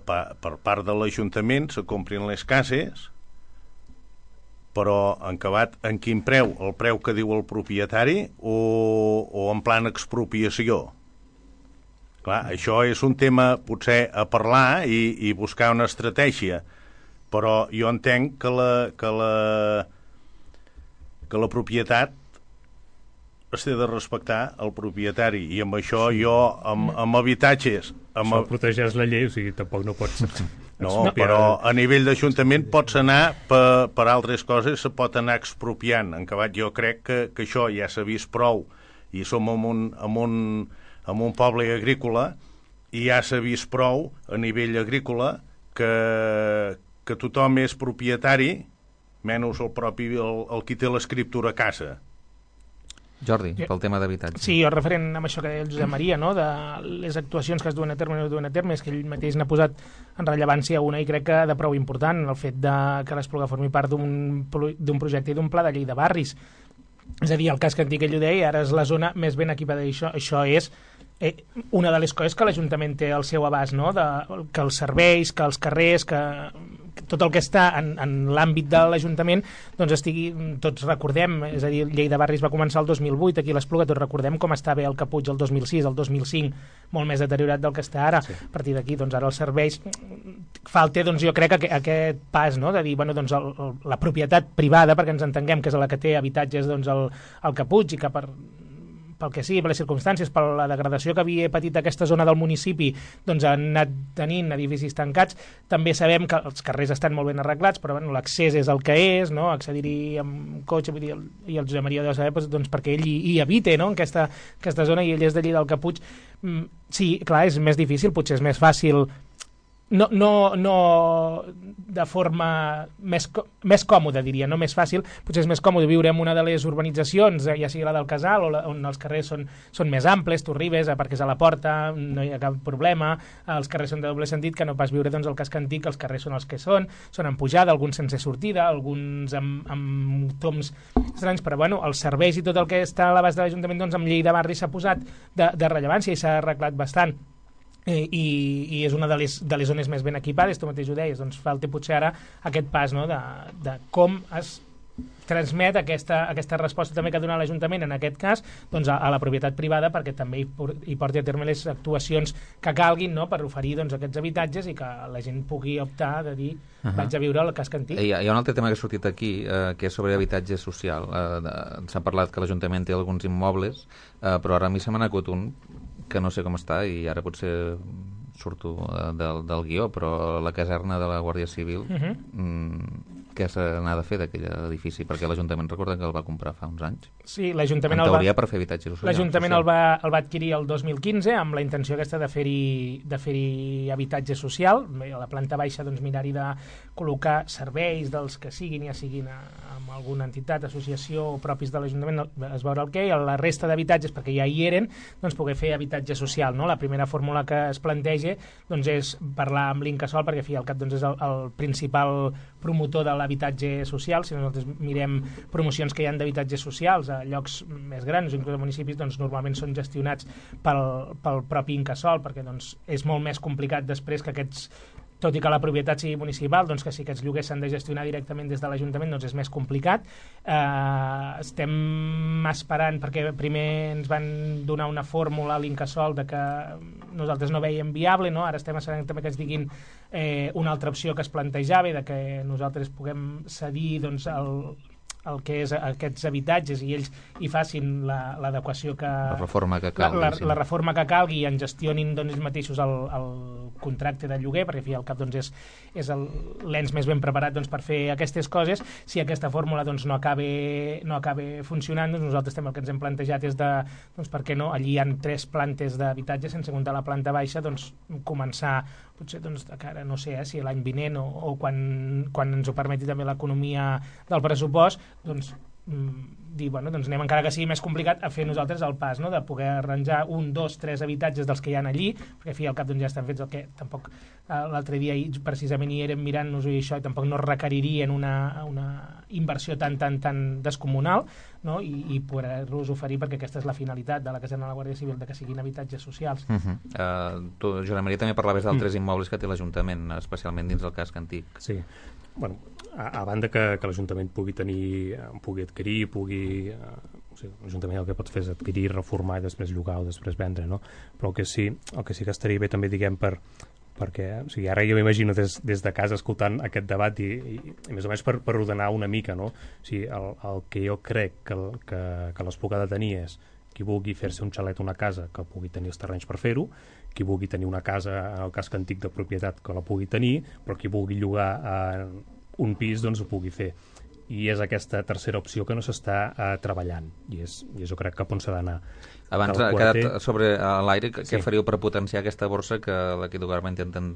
per part de l'Ajuntament se comprin les cases, però en acabat en quin preu? El preu que diu el propietari o en plan expropiació? Clar, això és un tema potser a parlar i buscar una estratègia, però jo entenc que la propietat es té de respectar el propietari, i amb això jo, amb habitatges... Això protegeix la llei, o sigui, tampoc no pots... No, però a nivell d'Ajuntament pots anar per altres coses, se pot anar expropiant. En acabat, jo crec que això ja s'ha vist prou, i som en un poble agrícola, i ja s'ha vist prou a nivell agrícola que tothom és propietari, menys el qui té l'escriptura a casa. Jordi, pel tema d'habitatge. Sí, jo referent amb això que deia el Josep Maria, no?, de les actuacions que es duen a terme o no es duen a terme, és que ell mateix n'ha posat en rellevància una, i crec que de prou important, el fet que l'Espluga formi part d'un projecte i d'un pla de llei de barris. És a dir, el casc antic, ell ho deia, ara és la zona més ben equipada, i això és una de les coses que l'Ajuntament té al seu abast, no?, que els serveis, que els carrers, que tot el que està en l'àmbit de l'Ajuntament doncs estigui, tots recordem, és a dir, Llei de Barris va començar el 2008, aquí a l'Espluga tots recordem com estava el Caputx el 2006, el 2005, molt més deteriorat del que està ara. Sí. A partir d'aquí, doncs ara els serveis falta, doncs jo crec que aquest pas, no?, de dir, bueno, doncs la propietat privada, perquè ens entenguem que és la que té habitatges, doncs el Caputx, i que pel que sigui, per les circumstàncies, per la degradació que havia patit aquesta zona del municipi, doncs han anat tenint edificis tancats. També sabem que els carrers estan molt ben arreglats, però bueno, l'accés és el que és, no?, accedir-hi amb cotxe, vull dir, i el Josep Maria deu saber, doncs perquè ell hi habita, no?, en aquesta zona, i ell és d'allí del Caputx. Sí, clar, és més difícil, potser és més fàcil, no de forma més còmoda, diria, no més fàcil, potser és més còmode viure en una de les urbanitzacions, ja sigui la del Casal, on els carrers són més amples, tu arribes, aparques a la porta, no hi ha cap problema, els carrers són de doble sentit, que no pas viure doncs el casc antic, els carrers són els que són en pujada, alguns sense sortida, alguns amb toms estranys, però bueno, els serveis i tot el que està a l'abast de l'Ajuntament, doncs amb Llei de Barri s'ha posat de rellevància i s'ha arreglat bastant. I és una de les zones més ben equipades, tu mateix ho deies, doncs falta potser ara aquest pas, no?, de com es transmet aquesta resposta també que ha donat l'Ajuntament, en aquest cas, doncs a la propietat privada, perquè també hi porti a terme les actuacions que calguin, no?, per oferir doncs aquests habitatges i que la gent pugui optar de dir vaig a viure al casc antic. Hi ha un altre tema que ha sortit aquí, que és sobre habitatge social. S'ha parlat que l'Ajuntament té alguns immobles, però ara a mi se m'ha acut un que no sé com està, i ara potser surto del guió, però la caserna de la Guàrdia Civil què s'ha de fer d'aquell edifici? Perquè l'Ajuntament recorda que el va comprar fa uns anys. Sí, l'Ajuntament en teoria per fer habitatge social. L'Ajuntament el va adquirir el 2015 amb la intenció aquesta de fer-hi habitatge social. A la planta baixa doncs, mirar-hi de col·locar serveis dels que siguin, ja siguin amb alguna entitat, associació o propis de l'Ajuntament, es veurà el què, i la resta d'habitatges, perquè ja hi eren, doncs poder fer habitatge social. No? La primera fórmula que es planteja doncs, és parlar amb l'Incasòl, perquè al cap doncs, és el principal promotor de l'habitatge social. Si nosaltres mirem promocions que hi ha d'habitatges socials a llocs més grans, inclús a municipis, doncs normalment són gestionats pel propi Incasòl, perquè doncs, és molt més complicat després que aquests, tot i que la propietat sigui municipal, doncs que si aquests lloguers s'han de gestionar directament des de l'Ajuntament, doncs és més complicat. Estem esperant, perquè primer ens van donar una fórmula a l'Incasòl de que nosaltres no veiem viable, no? Ara estem esperant també que ens diguin una altra opció que es plantejava, de que nosaltres puguem cedir doncs, el que és aquests habitatges i ells hi facin l'adequació que... La reforma que calgui. La reforma que calgui i en gestionin doncs, ells mateixos el contracte de lloguer, perquè al cap doncs, és l'ens més ben preparat doncs, per fer aquestes coses. Si aquesta fórmula doncs, no acaba funcionant, doncs nosaltres també el que ens hem plantejat és de, doncs, per què no, allí hi ha 3 plantes d'habitatge, sense comptar la planta baixa, doncs començar potser doncs, de cara, no sé, si l'any vinent o quan ens ho permeti també l'economia del pressupost, doncs dir, bueno, doncs anem encara que sigui més complicat a fer nosaltres el pas, no? De poder arranjar 1, 2, 3 habitatges dels que hi ha allí, perquè al cap doncs, ja estan fets, el que tampoc l'altre dia precisament hi érem mirant-nos-ho i això, i tampoc no requeririen una inversió tan descomunal, no? I poder-los oferir, perquè aquesta és la finalitat de la Caserna de la Guàrdia Civil, de que siguin habitatges socials. Tu, Joan Maria, també parlaves d'altres immobles que té l'Ajuntament, especialment dins del casc antic. Sí, bueno, a banda que l'Ajuntament pugui adquirir, l'Ajuntament el que pot fer és adquirir, reformar i després llogar o després vendre, no? Però el que sí que estaria bé també, diguem, perquè ara jo m'imagino des de casa escoltant aquest debat i més o menys per ordenar una mica, no? El que jo crec que l'Espluga ha de tenir és qui vulgui fer-se un xalet o una casa que pugui tenir els terrenys per fer-ho, qui vulgui tenir una casa en el casc antic de propietat que la pugui tenir, però qui vulgui llogar un pis doncs ho pugui fer. I és aquesta tercera opció que no s'està treballant i és jo crec cap on s'ha d'anar. Abans ha quedat sobre l'aire què faríeu per potenciar aquesta borsa que l'equip de govern intenten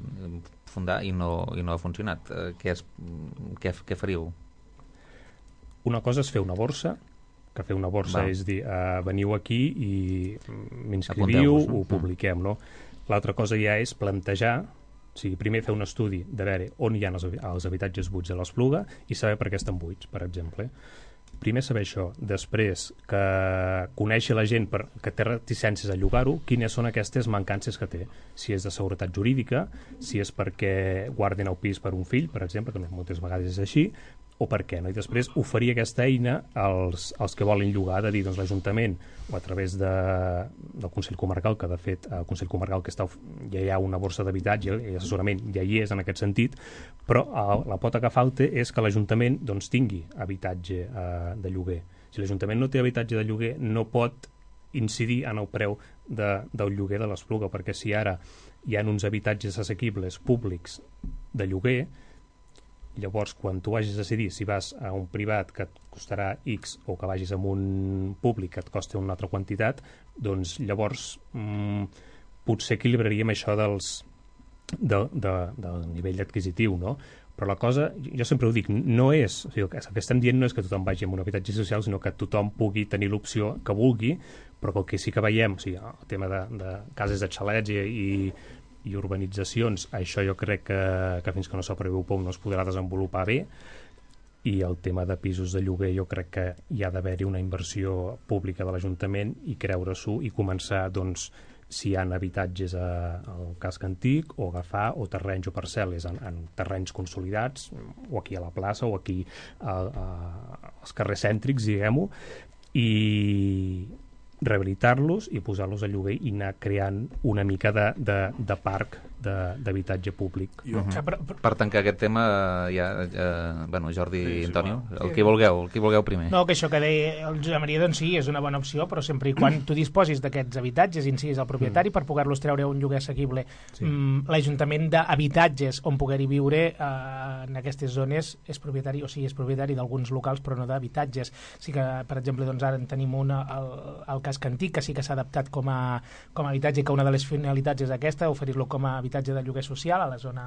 fundar i no ha funcionat. Què faríeu? Una cosa és fer una borsa, que fer una borsa és dir, veniu aquí i m'inscriviu, ho publiquem, no? L'altra cosa ja és plantejar, primer fer un estudi de veure on hi ha els habitatges buits a l'Espluga i saber per què estan buits, per exemple. Primer saber això, després que conèixer la gent que té reticències a llogar-ho, quines són aquestes mancances que té, si és de seguretat jurídica, si és perquè guarden el pis per un fill, per exemple, que moltes vegades és així, o per què no? I després oferir aquesta eina als que volen llogar, de dir, doncs l'Ajuntament o a través del Consell Comarcal, que de fet el Consell Comarcal ja hi ha una borsa d'habitatge i assessorament ja hi és en aquest sentit, però la pota que falta és que l'Ajuntament doncs, tingui habitatge de lloguer. Si l'Ajuntament no té habitatge de lloguer no pot incidir en el preu del lloguer de l'Espluga, perquè si ara hi ha uns habitatges assequibles públics de lloguer, llavors quan tu vagis a decidir si vas a un privat que et costarà X o que vagis a un públic que et costa una altra quantitat, doncs llavors potser equilibraríem això del nivell adquisitiu, no? Però la cosa, jo sempre ho dic, no és, el que estem dient no és que tothom vagi a un habitatge social, sinó que tothom pugui tenir l'opció que vulgui, però el que sí que veiem, el tema de cases de xalets i urbanitzacions, això jo crec que fins que no s'aprovi poc no es podrà desenvolupar bé, i el tema de pisos de lloguer jo crec que hi ha d'haver-hi una inversió pública de l'Ajuntament i creure-s'ho i començar, doncs, si hi ha habitatges al casc antic o agafar o terrenys o parcel·les en terrenys consolidats o aquí a la plaça o aquí als carrers cèntrics, diguem-ho, i rehabilitar-los i posar-los a lloguer i anar creant una mica de parc d'habitatge públic. Per tancar aquest tema, Jordi i Antonio, el que vulgueu primer. No, que això que deia el Josep Maria, doncs sí, és una bona opció, però sempre i quan tu disposis d'aquests habitatges i en siguis el propietari per poder-los treure a un lloguer assequible. L'Ajuntament d'habitatges on poder-hi viure en aquestes zones és propietari, o sigui, és propietari d'alguns locals però no d'habitatges. Sí que, per exemple, doncs ara en tenim el casc antic, que sí que s'ha adaptat com a habitatge, que una de les finalitats és aquesta, oferir-lo com a habitatge de lloguer social a la zona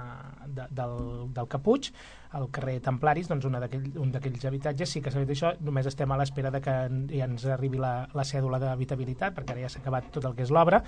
del Caputx, al carrer Templaris, doncs un d'aquells habitatges sí que s'ha fet això. Només estem a l'espera de que ja ens arribi la cèdula d'habitabilitat, perquè ara ja s'ha acabat tot el que és l'obra.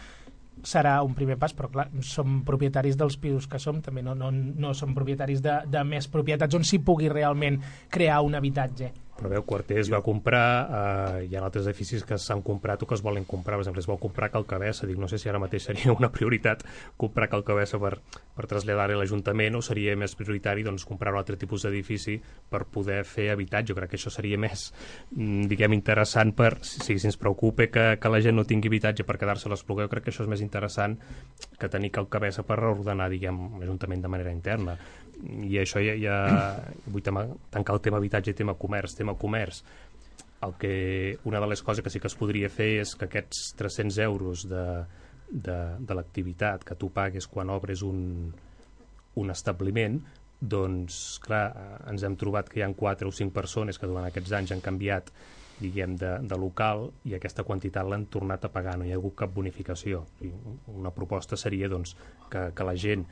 Serà un primer pas, però clar, som propietaris dels pisos que som, també no som propietaris de més propietats on s'hi pugui realment crear un habitatge. Però veu, Quarter es va comprar, hi ha altres edificis que s'han comprat o que es volen comprar, per exemple, es vol comprar Calcabessa, dic, no sé si ara mateix seria una prioritat comprar Calcabessa per traslladar-hi a l'Ajuntament, o seria més prioritari doncs, comprar un altre tipus d'edifici per poder fer habitatge. Jo crec que això seria més, diguem, interessant per, si ens preocupa que la gent no tingui habitatge per quedar-se a l'Espluga, jo crec que això és més interessant que tenir Calcabessa per reordenar, diguem, l'Ajuntament de manera interna. I això ja vull tancar el tema habitatge i tema comerç. Una de les coses que sí que es podria fer és que aquests 300 euros de l'activitat que tu pagues quan obres un establiment, doncs clar, ens hem trobat que hi ha 4 o 5 persones que durant aquests anys han canviat, diguem, de local, i aquesta quantitat l'han tornat a pagar, no hi ha hagut cap bonificació. Una proposta seria doncs, que la gent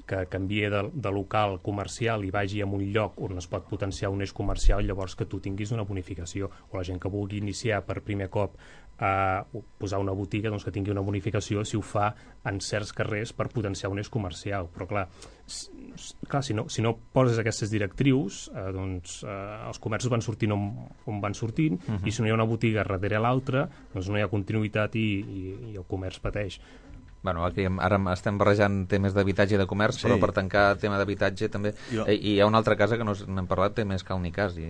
que canvia de local comercial i vagi a un lloc on es pot potenciar un eix comercial, llavors que tu tinguis una bonificació, o la gent que vulgui iniciar per primer cop a posar una botiga, doncs que tingui una bonificació si ho fa en certs carrers per potenciar un eix comercial. Però clar, si no poses aquestes directrius, doncs els comerços van sortint on van sortint, i si no hi ha una botiga darrere l'altra, doncs no hi ha continuïtat i el comerç pateix. Bueno, aquí ara estem barrejant temes d'habitatge i de comerç, però per tancar el tema d'habitatge també... I hi ha una altra casa que no n'hem parlat, també és Cal Nicasi.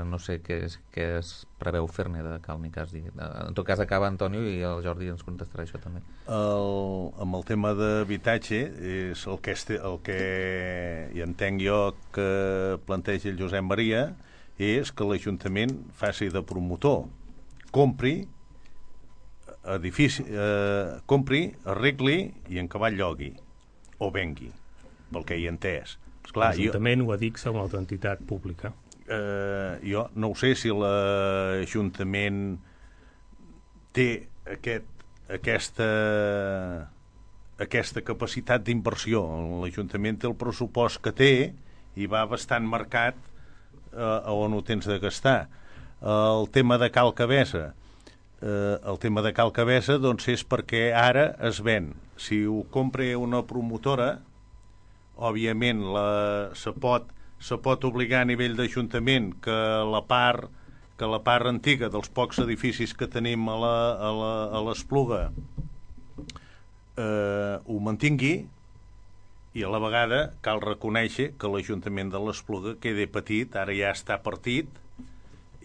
No sé què es preveu fer-ne de Cal Nicasi. En tot cas, acaba Antonio i el Jordi ens contestarà això també. Amb el tema d'habitatge, és el que hi entenc jo que planteja el Josep Maria, és que l'Ajuntament faci de promotor, compri, arregli i en cavall llogui o vengui, pel que hi he entès. L'Ajuntament ho adixa a una altra entitat pública. Jo no ho sé si l'Ajuntament té aquesta capacitat d'inversió. L'Ajuntament té el pressupost que té i va bastant marcat a on ho tens de gastar. El tema de Cal Cabessa, doncs és perquè ara es ven. Si ho compra una promotora, òbviament se pot obligar a nivell d'Ajuntament que la part antiga dels pocs edificis que tenim a l'Espluga ho mantingui, i a la vegada cal reconèixer que l'Ajuntament de l'Espluga queda petit, ara ja està partit,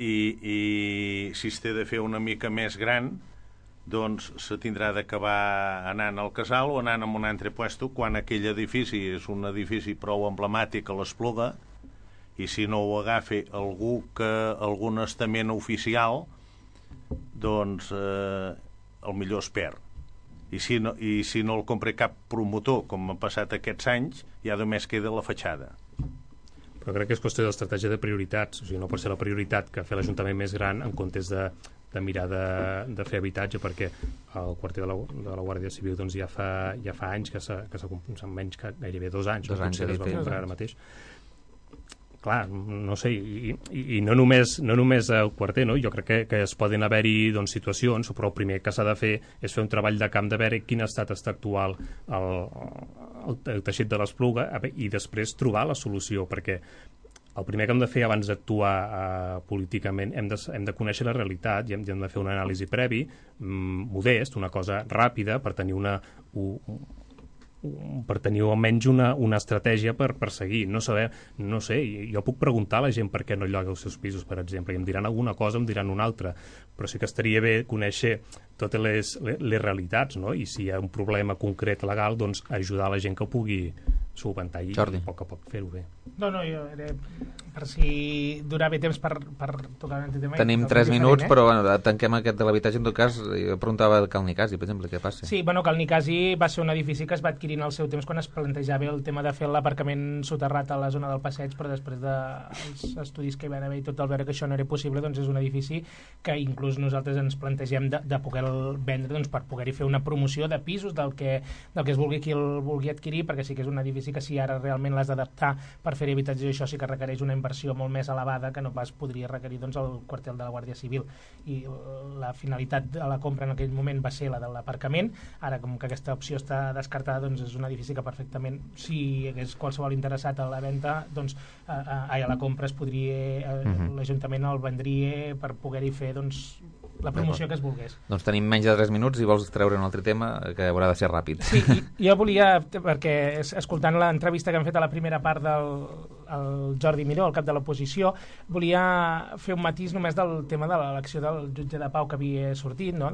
i si es té de fer una mica més gran, doncs se tindrà d'acabar anant al Casal o anant a un altre puesto, quan aquell edifici és un edifici prou emblemàtic a l'Espluga, i si no ho agafa algun estament oficial, doncs el millor es perd. I si no el compra cap promotor, com ha passat aquests anys, ja només queda la fatxada. Però crec que és qüestió d'estratègia de prioritats. O sigui, no pot ser la prioritat que fer l'Ajuntament més gran en comptes de mirar de fer habitatge, perquè el quarter de la Guàrdia Civil doncs, ja fa anys que s'ha comprat, menys que gairebé 2 anys, que es va comprar ara mateix. Clar, no sé, i no només el quarter, no? Jo crec que es poden haver-hi doncs, situacions, però el primer que s'ha de fer és fer un treball de camp de veure quin estat està actual el teixit de l'Espluga i després trobar la solució, perquè el primer que hem de fer abans d'actuar políticament hem de conèixer la realitat i hem de fer una anàlisi previ, modest, una cosa ràpida, per tenir tenir almenys una estratègia per seguir. No sé, jo puc preguntar a la gent per què no lloga els seus pisos, per exemple, i em diran alguna cosa, em diran una altra, però sí que estaria bé conèixer totes les realitats, no? I si hi ha un problema concret legal, doncs ajudar la gent que ho pugui solventar i a poc fer-ho bé. No, jo era per si durava temps per tocar un tema. Tenim 3 minuts, però tanquem aquest de l'habitatge. En tot cas, jo preguntava de Cal Nicasi, per exemple, què passa? Sí, Cal Nicasi va ser un edifici que es va adquirir en el seu temps quan es plantejava el tema de fer l'aparcament soterrat a la zona del passeig, però després dels estudis que hi van haver i tot el veure que això no era possible, doncs és un edifici que inclús nosaltres ens plantegem de poder-lo vendre, doncs, per poder-hi fer una promoció de pisos del que es vulgui qui el vulgui adquirir, perquè sí que és un edifici que si ara realment l'has d'adaptar per fer habitatge, això sí que requereix una inversió molt més elevada que no pas podria requerir doncs, el quartel de la Guàrdia Civil, i la finalitat de la compra en aquell moment va ser la de l'aparcament. Ara, com que aquesta opció està descartada, doncs és un edifici que perfectament, si hi hagués qualsevol interessat a la venda, doncs a la compra es podria, l'Ajuntament el vendria per poder-hi fer doncs la promoció que es volgués. Doncs tenim menys de 3 minuts i vols treure un altre tema que haurà de ser ràpid. Sí, jo volia, perquè escoltant l'entrevista que hem fet a la primera part del Jordi Miró, el cap de l'oposició, volia fer un matís només del tema de l'elecció del jutge de pau que havia sortit, no?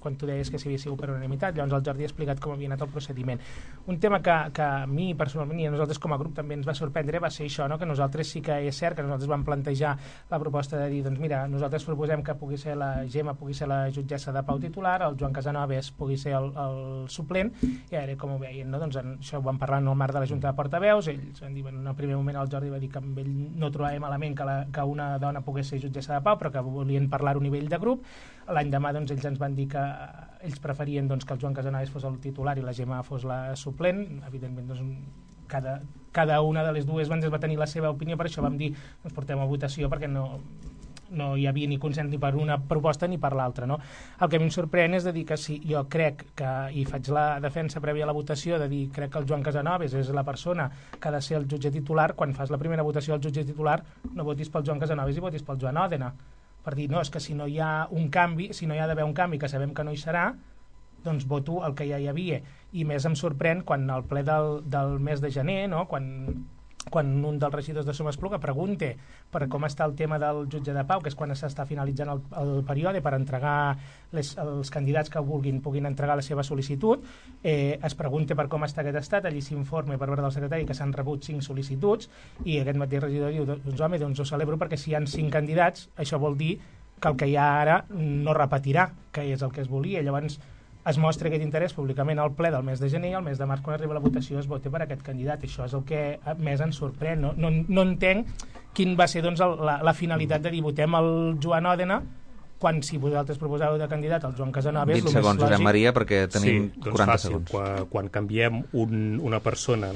Quan tu deies que s'havia sigut per unanimitat, llavors el Jordi ha explicat com havia anat el procediment. Un tema que a mi personalment i a nosaltres com a grup també ens va sorprendre va ser això, no? Que nosaltres sí que és cert que nosaltres vam plantejar la proposta de dir, doncs mira, nosaltres proposem que pugui ser la Gemma, pugui ser la jutgessa de pau titular, el Joan Casanovas pugui ser el suplent, i ara com ho veien, no? Doncs això ho vam parlar en el marc de la Junta de Portaveus, ells van dir, en el primer moment el Jordi va dir que amb ell no trobava malament que una dona pogués ser jutgessa de pau, però que volien parlar a nivell de grup. L'any demà doncs, ells ens van dir que ells preferien doncs, que el Joan Casanovas fos el titular i la Gemma fos la suplent. Evidentment, doncs, cada una de les dues va tenir la seva opinió, per això vam dir ens portem a votació perquè no hi havia ni consens ni per una proposta ni per l'altra, no? El que a mi em sorprèn és de dir que si jo crec que, i faig la defensa prèvia a la votació, de dir crec que el Joan Casanovas és la persona que ha de ser el jutge titular, quan fas la primera votació al jutge titular no votis pel Joan Casanovas i votis pel Joan Òdena, per dir, no, és que si no hi ha un canvi, si no hi ha d'haver un canvi que sabem que no hi serà, doncs voto el que ja hi havia. I més em sorprèn quan al ple del mes de gener, no? Quan un dels regidors de Somespluga pregunta per com està el tema del jutge de pau, que és quan s'està finalitzant el període per entregar els candidats que puguin entregar la seva sol·licitud, es pregunta per com està aquest estat, allí s'informa per part del secretari que s'han rebut 5 sol·licituds i aquest mateix regidor diu, doncs home, doncs ho celebro perquè si hi ha 5 candidats, això vol dir que el que hi ha ara no repetirà, que és el que es volia. Llavors es mostra aquest interès públicament al ple del mes de gener i al mes de març, quan arriba la votació, es vota per aquest candidat. Això és el que més ens sorprèn. No entenc quin va ser doncs, la finalitat de dir votem el Joan Òdena quan si vosaltres proposeu de candidat el Joan Casanovas... 20 segons, Josep Maria, perquè tenim 40 segons. Quan canviem una persona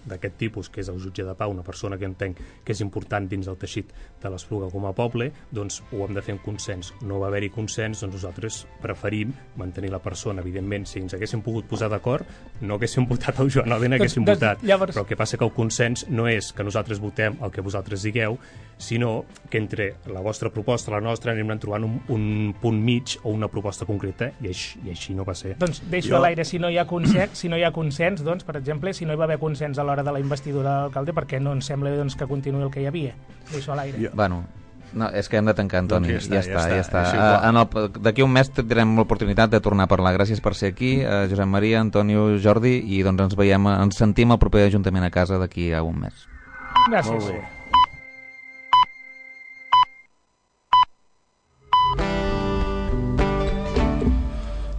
d'aquest tipus, que és el jutge de pau, una persona que entenc que és important dins el teixit de l'Espluga com a poble, doncs ho hem de fer en consens. No va haver-hi consens, doncs nosaltres preferim mantenir la persona. Evidentment, si ens haguéssim pogut posar d'acord, no haguéssim votat el Joan Òdena, haguéssim votat. Llavors... Però el que passa que el consens no és que nosaltres votem el que vosaltres digueu, sinó que entre la vostra proposta i la nostra anem trobant un punt mig o una proposta concreta i així no va ser. Doncs deixo a l'aire, si no hi ha consens, doncs, per exemple, si no hi va haver consens a l'hora de la investidura de l'alcalde, perquè no ens sembla doncs, que continuï el que hi havia. Deixo a l'aire. Bueno, no, és que hem de tancar, Antoni. Ja està. D'aquí un mes tindrem l'oportunitat de tornar a parlar. Gràcies per ser aquí, Josep Maria, Antonio, Jordi, i doncs ens sentim al proper Ajuntament a casa d'aquí a un mes. Gràcies.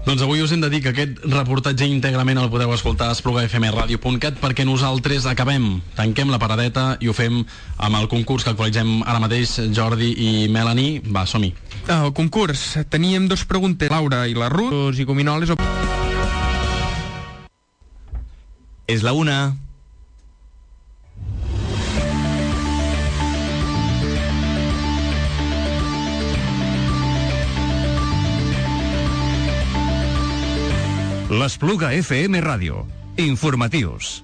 Doncs avui us hem de dir que aquest reportatge íntegrament el podeu escoltar a esplugafmradio.cat perquè nosaltres tanquem la paradeta i ho fem amb el concurs que actualitzem ara mateix, Jordi i Melanie. Va, som-hi. El concurs, teníem 2 preguntes, Laura i la Ruth, i gominoles... És la 1. L'Espluga FM Ràdio. Informatius.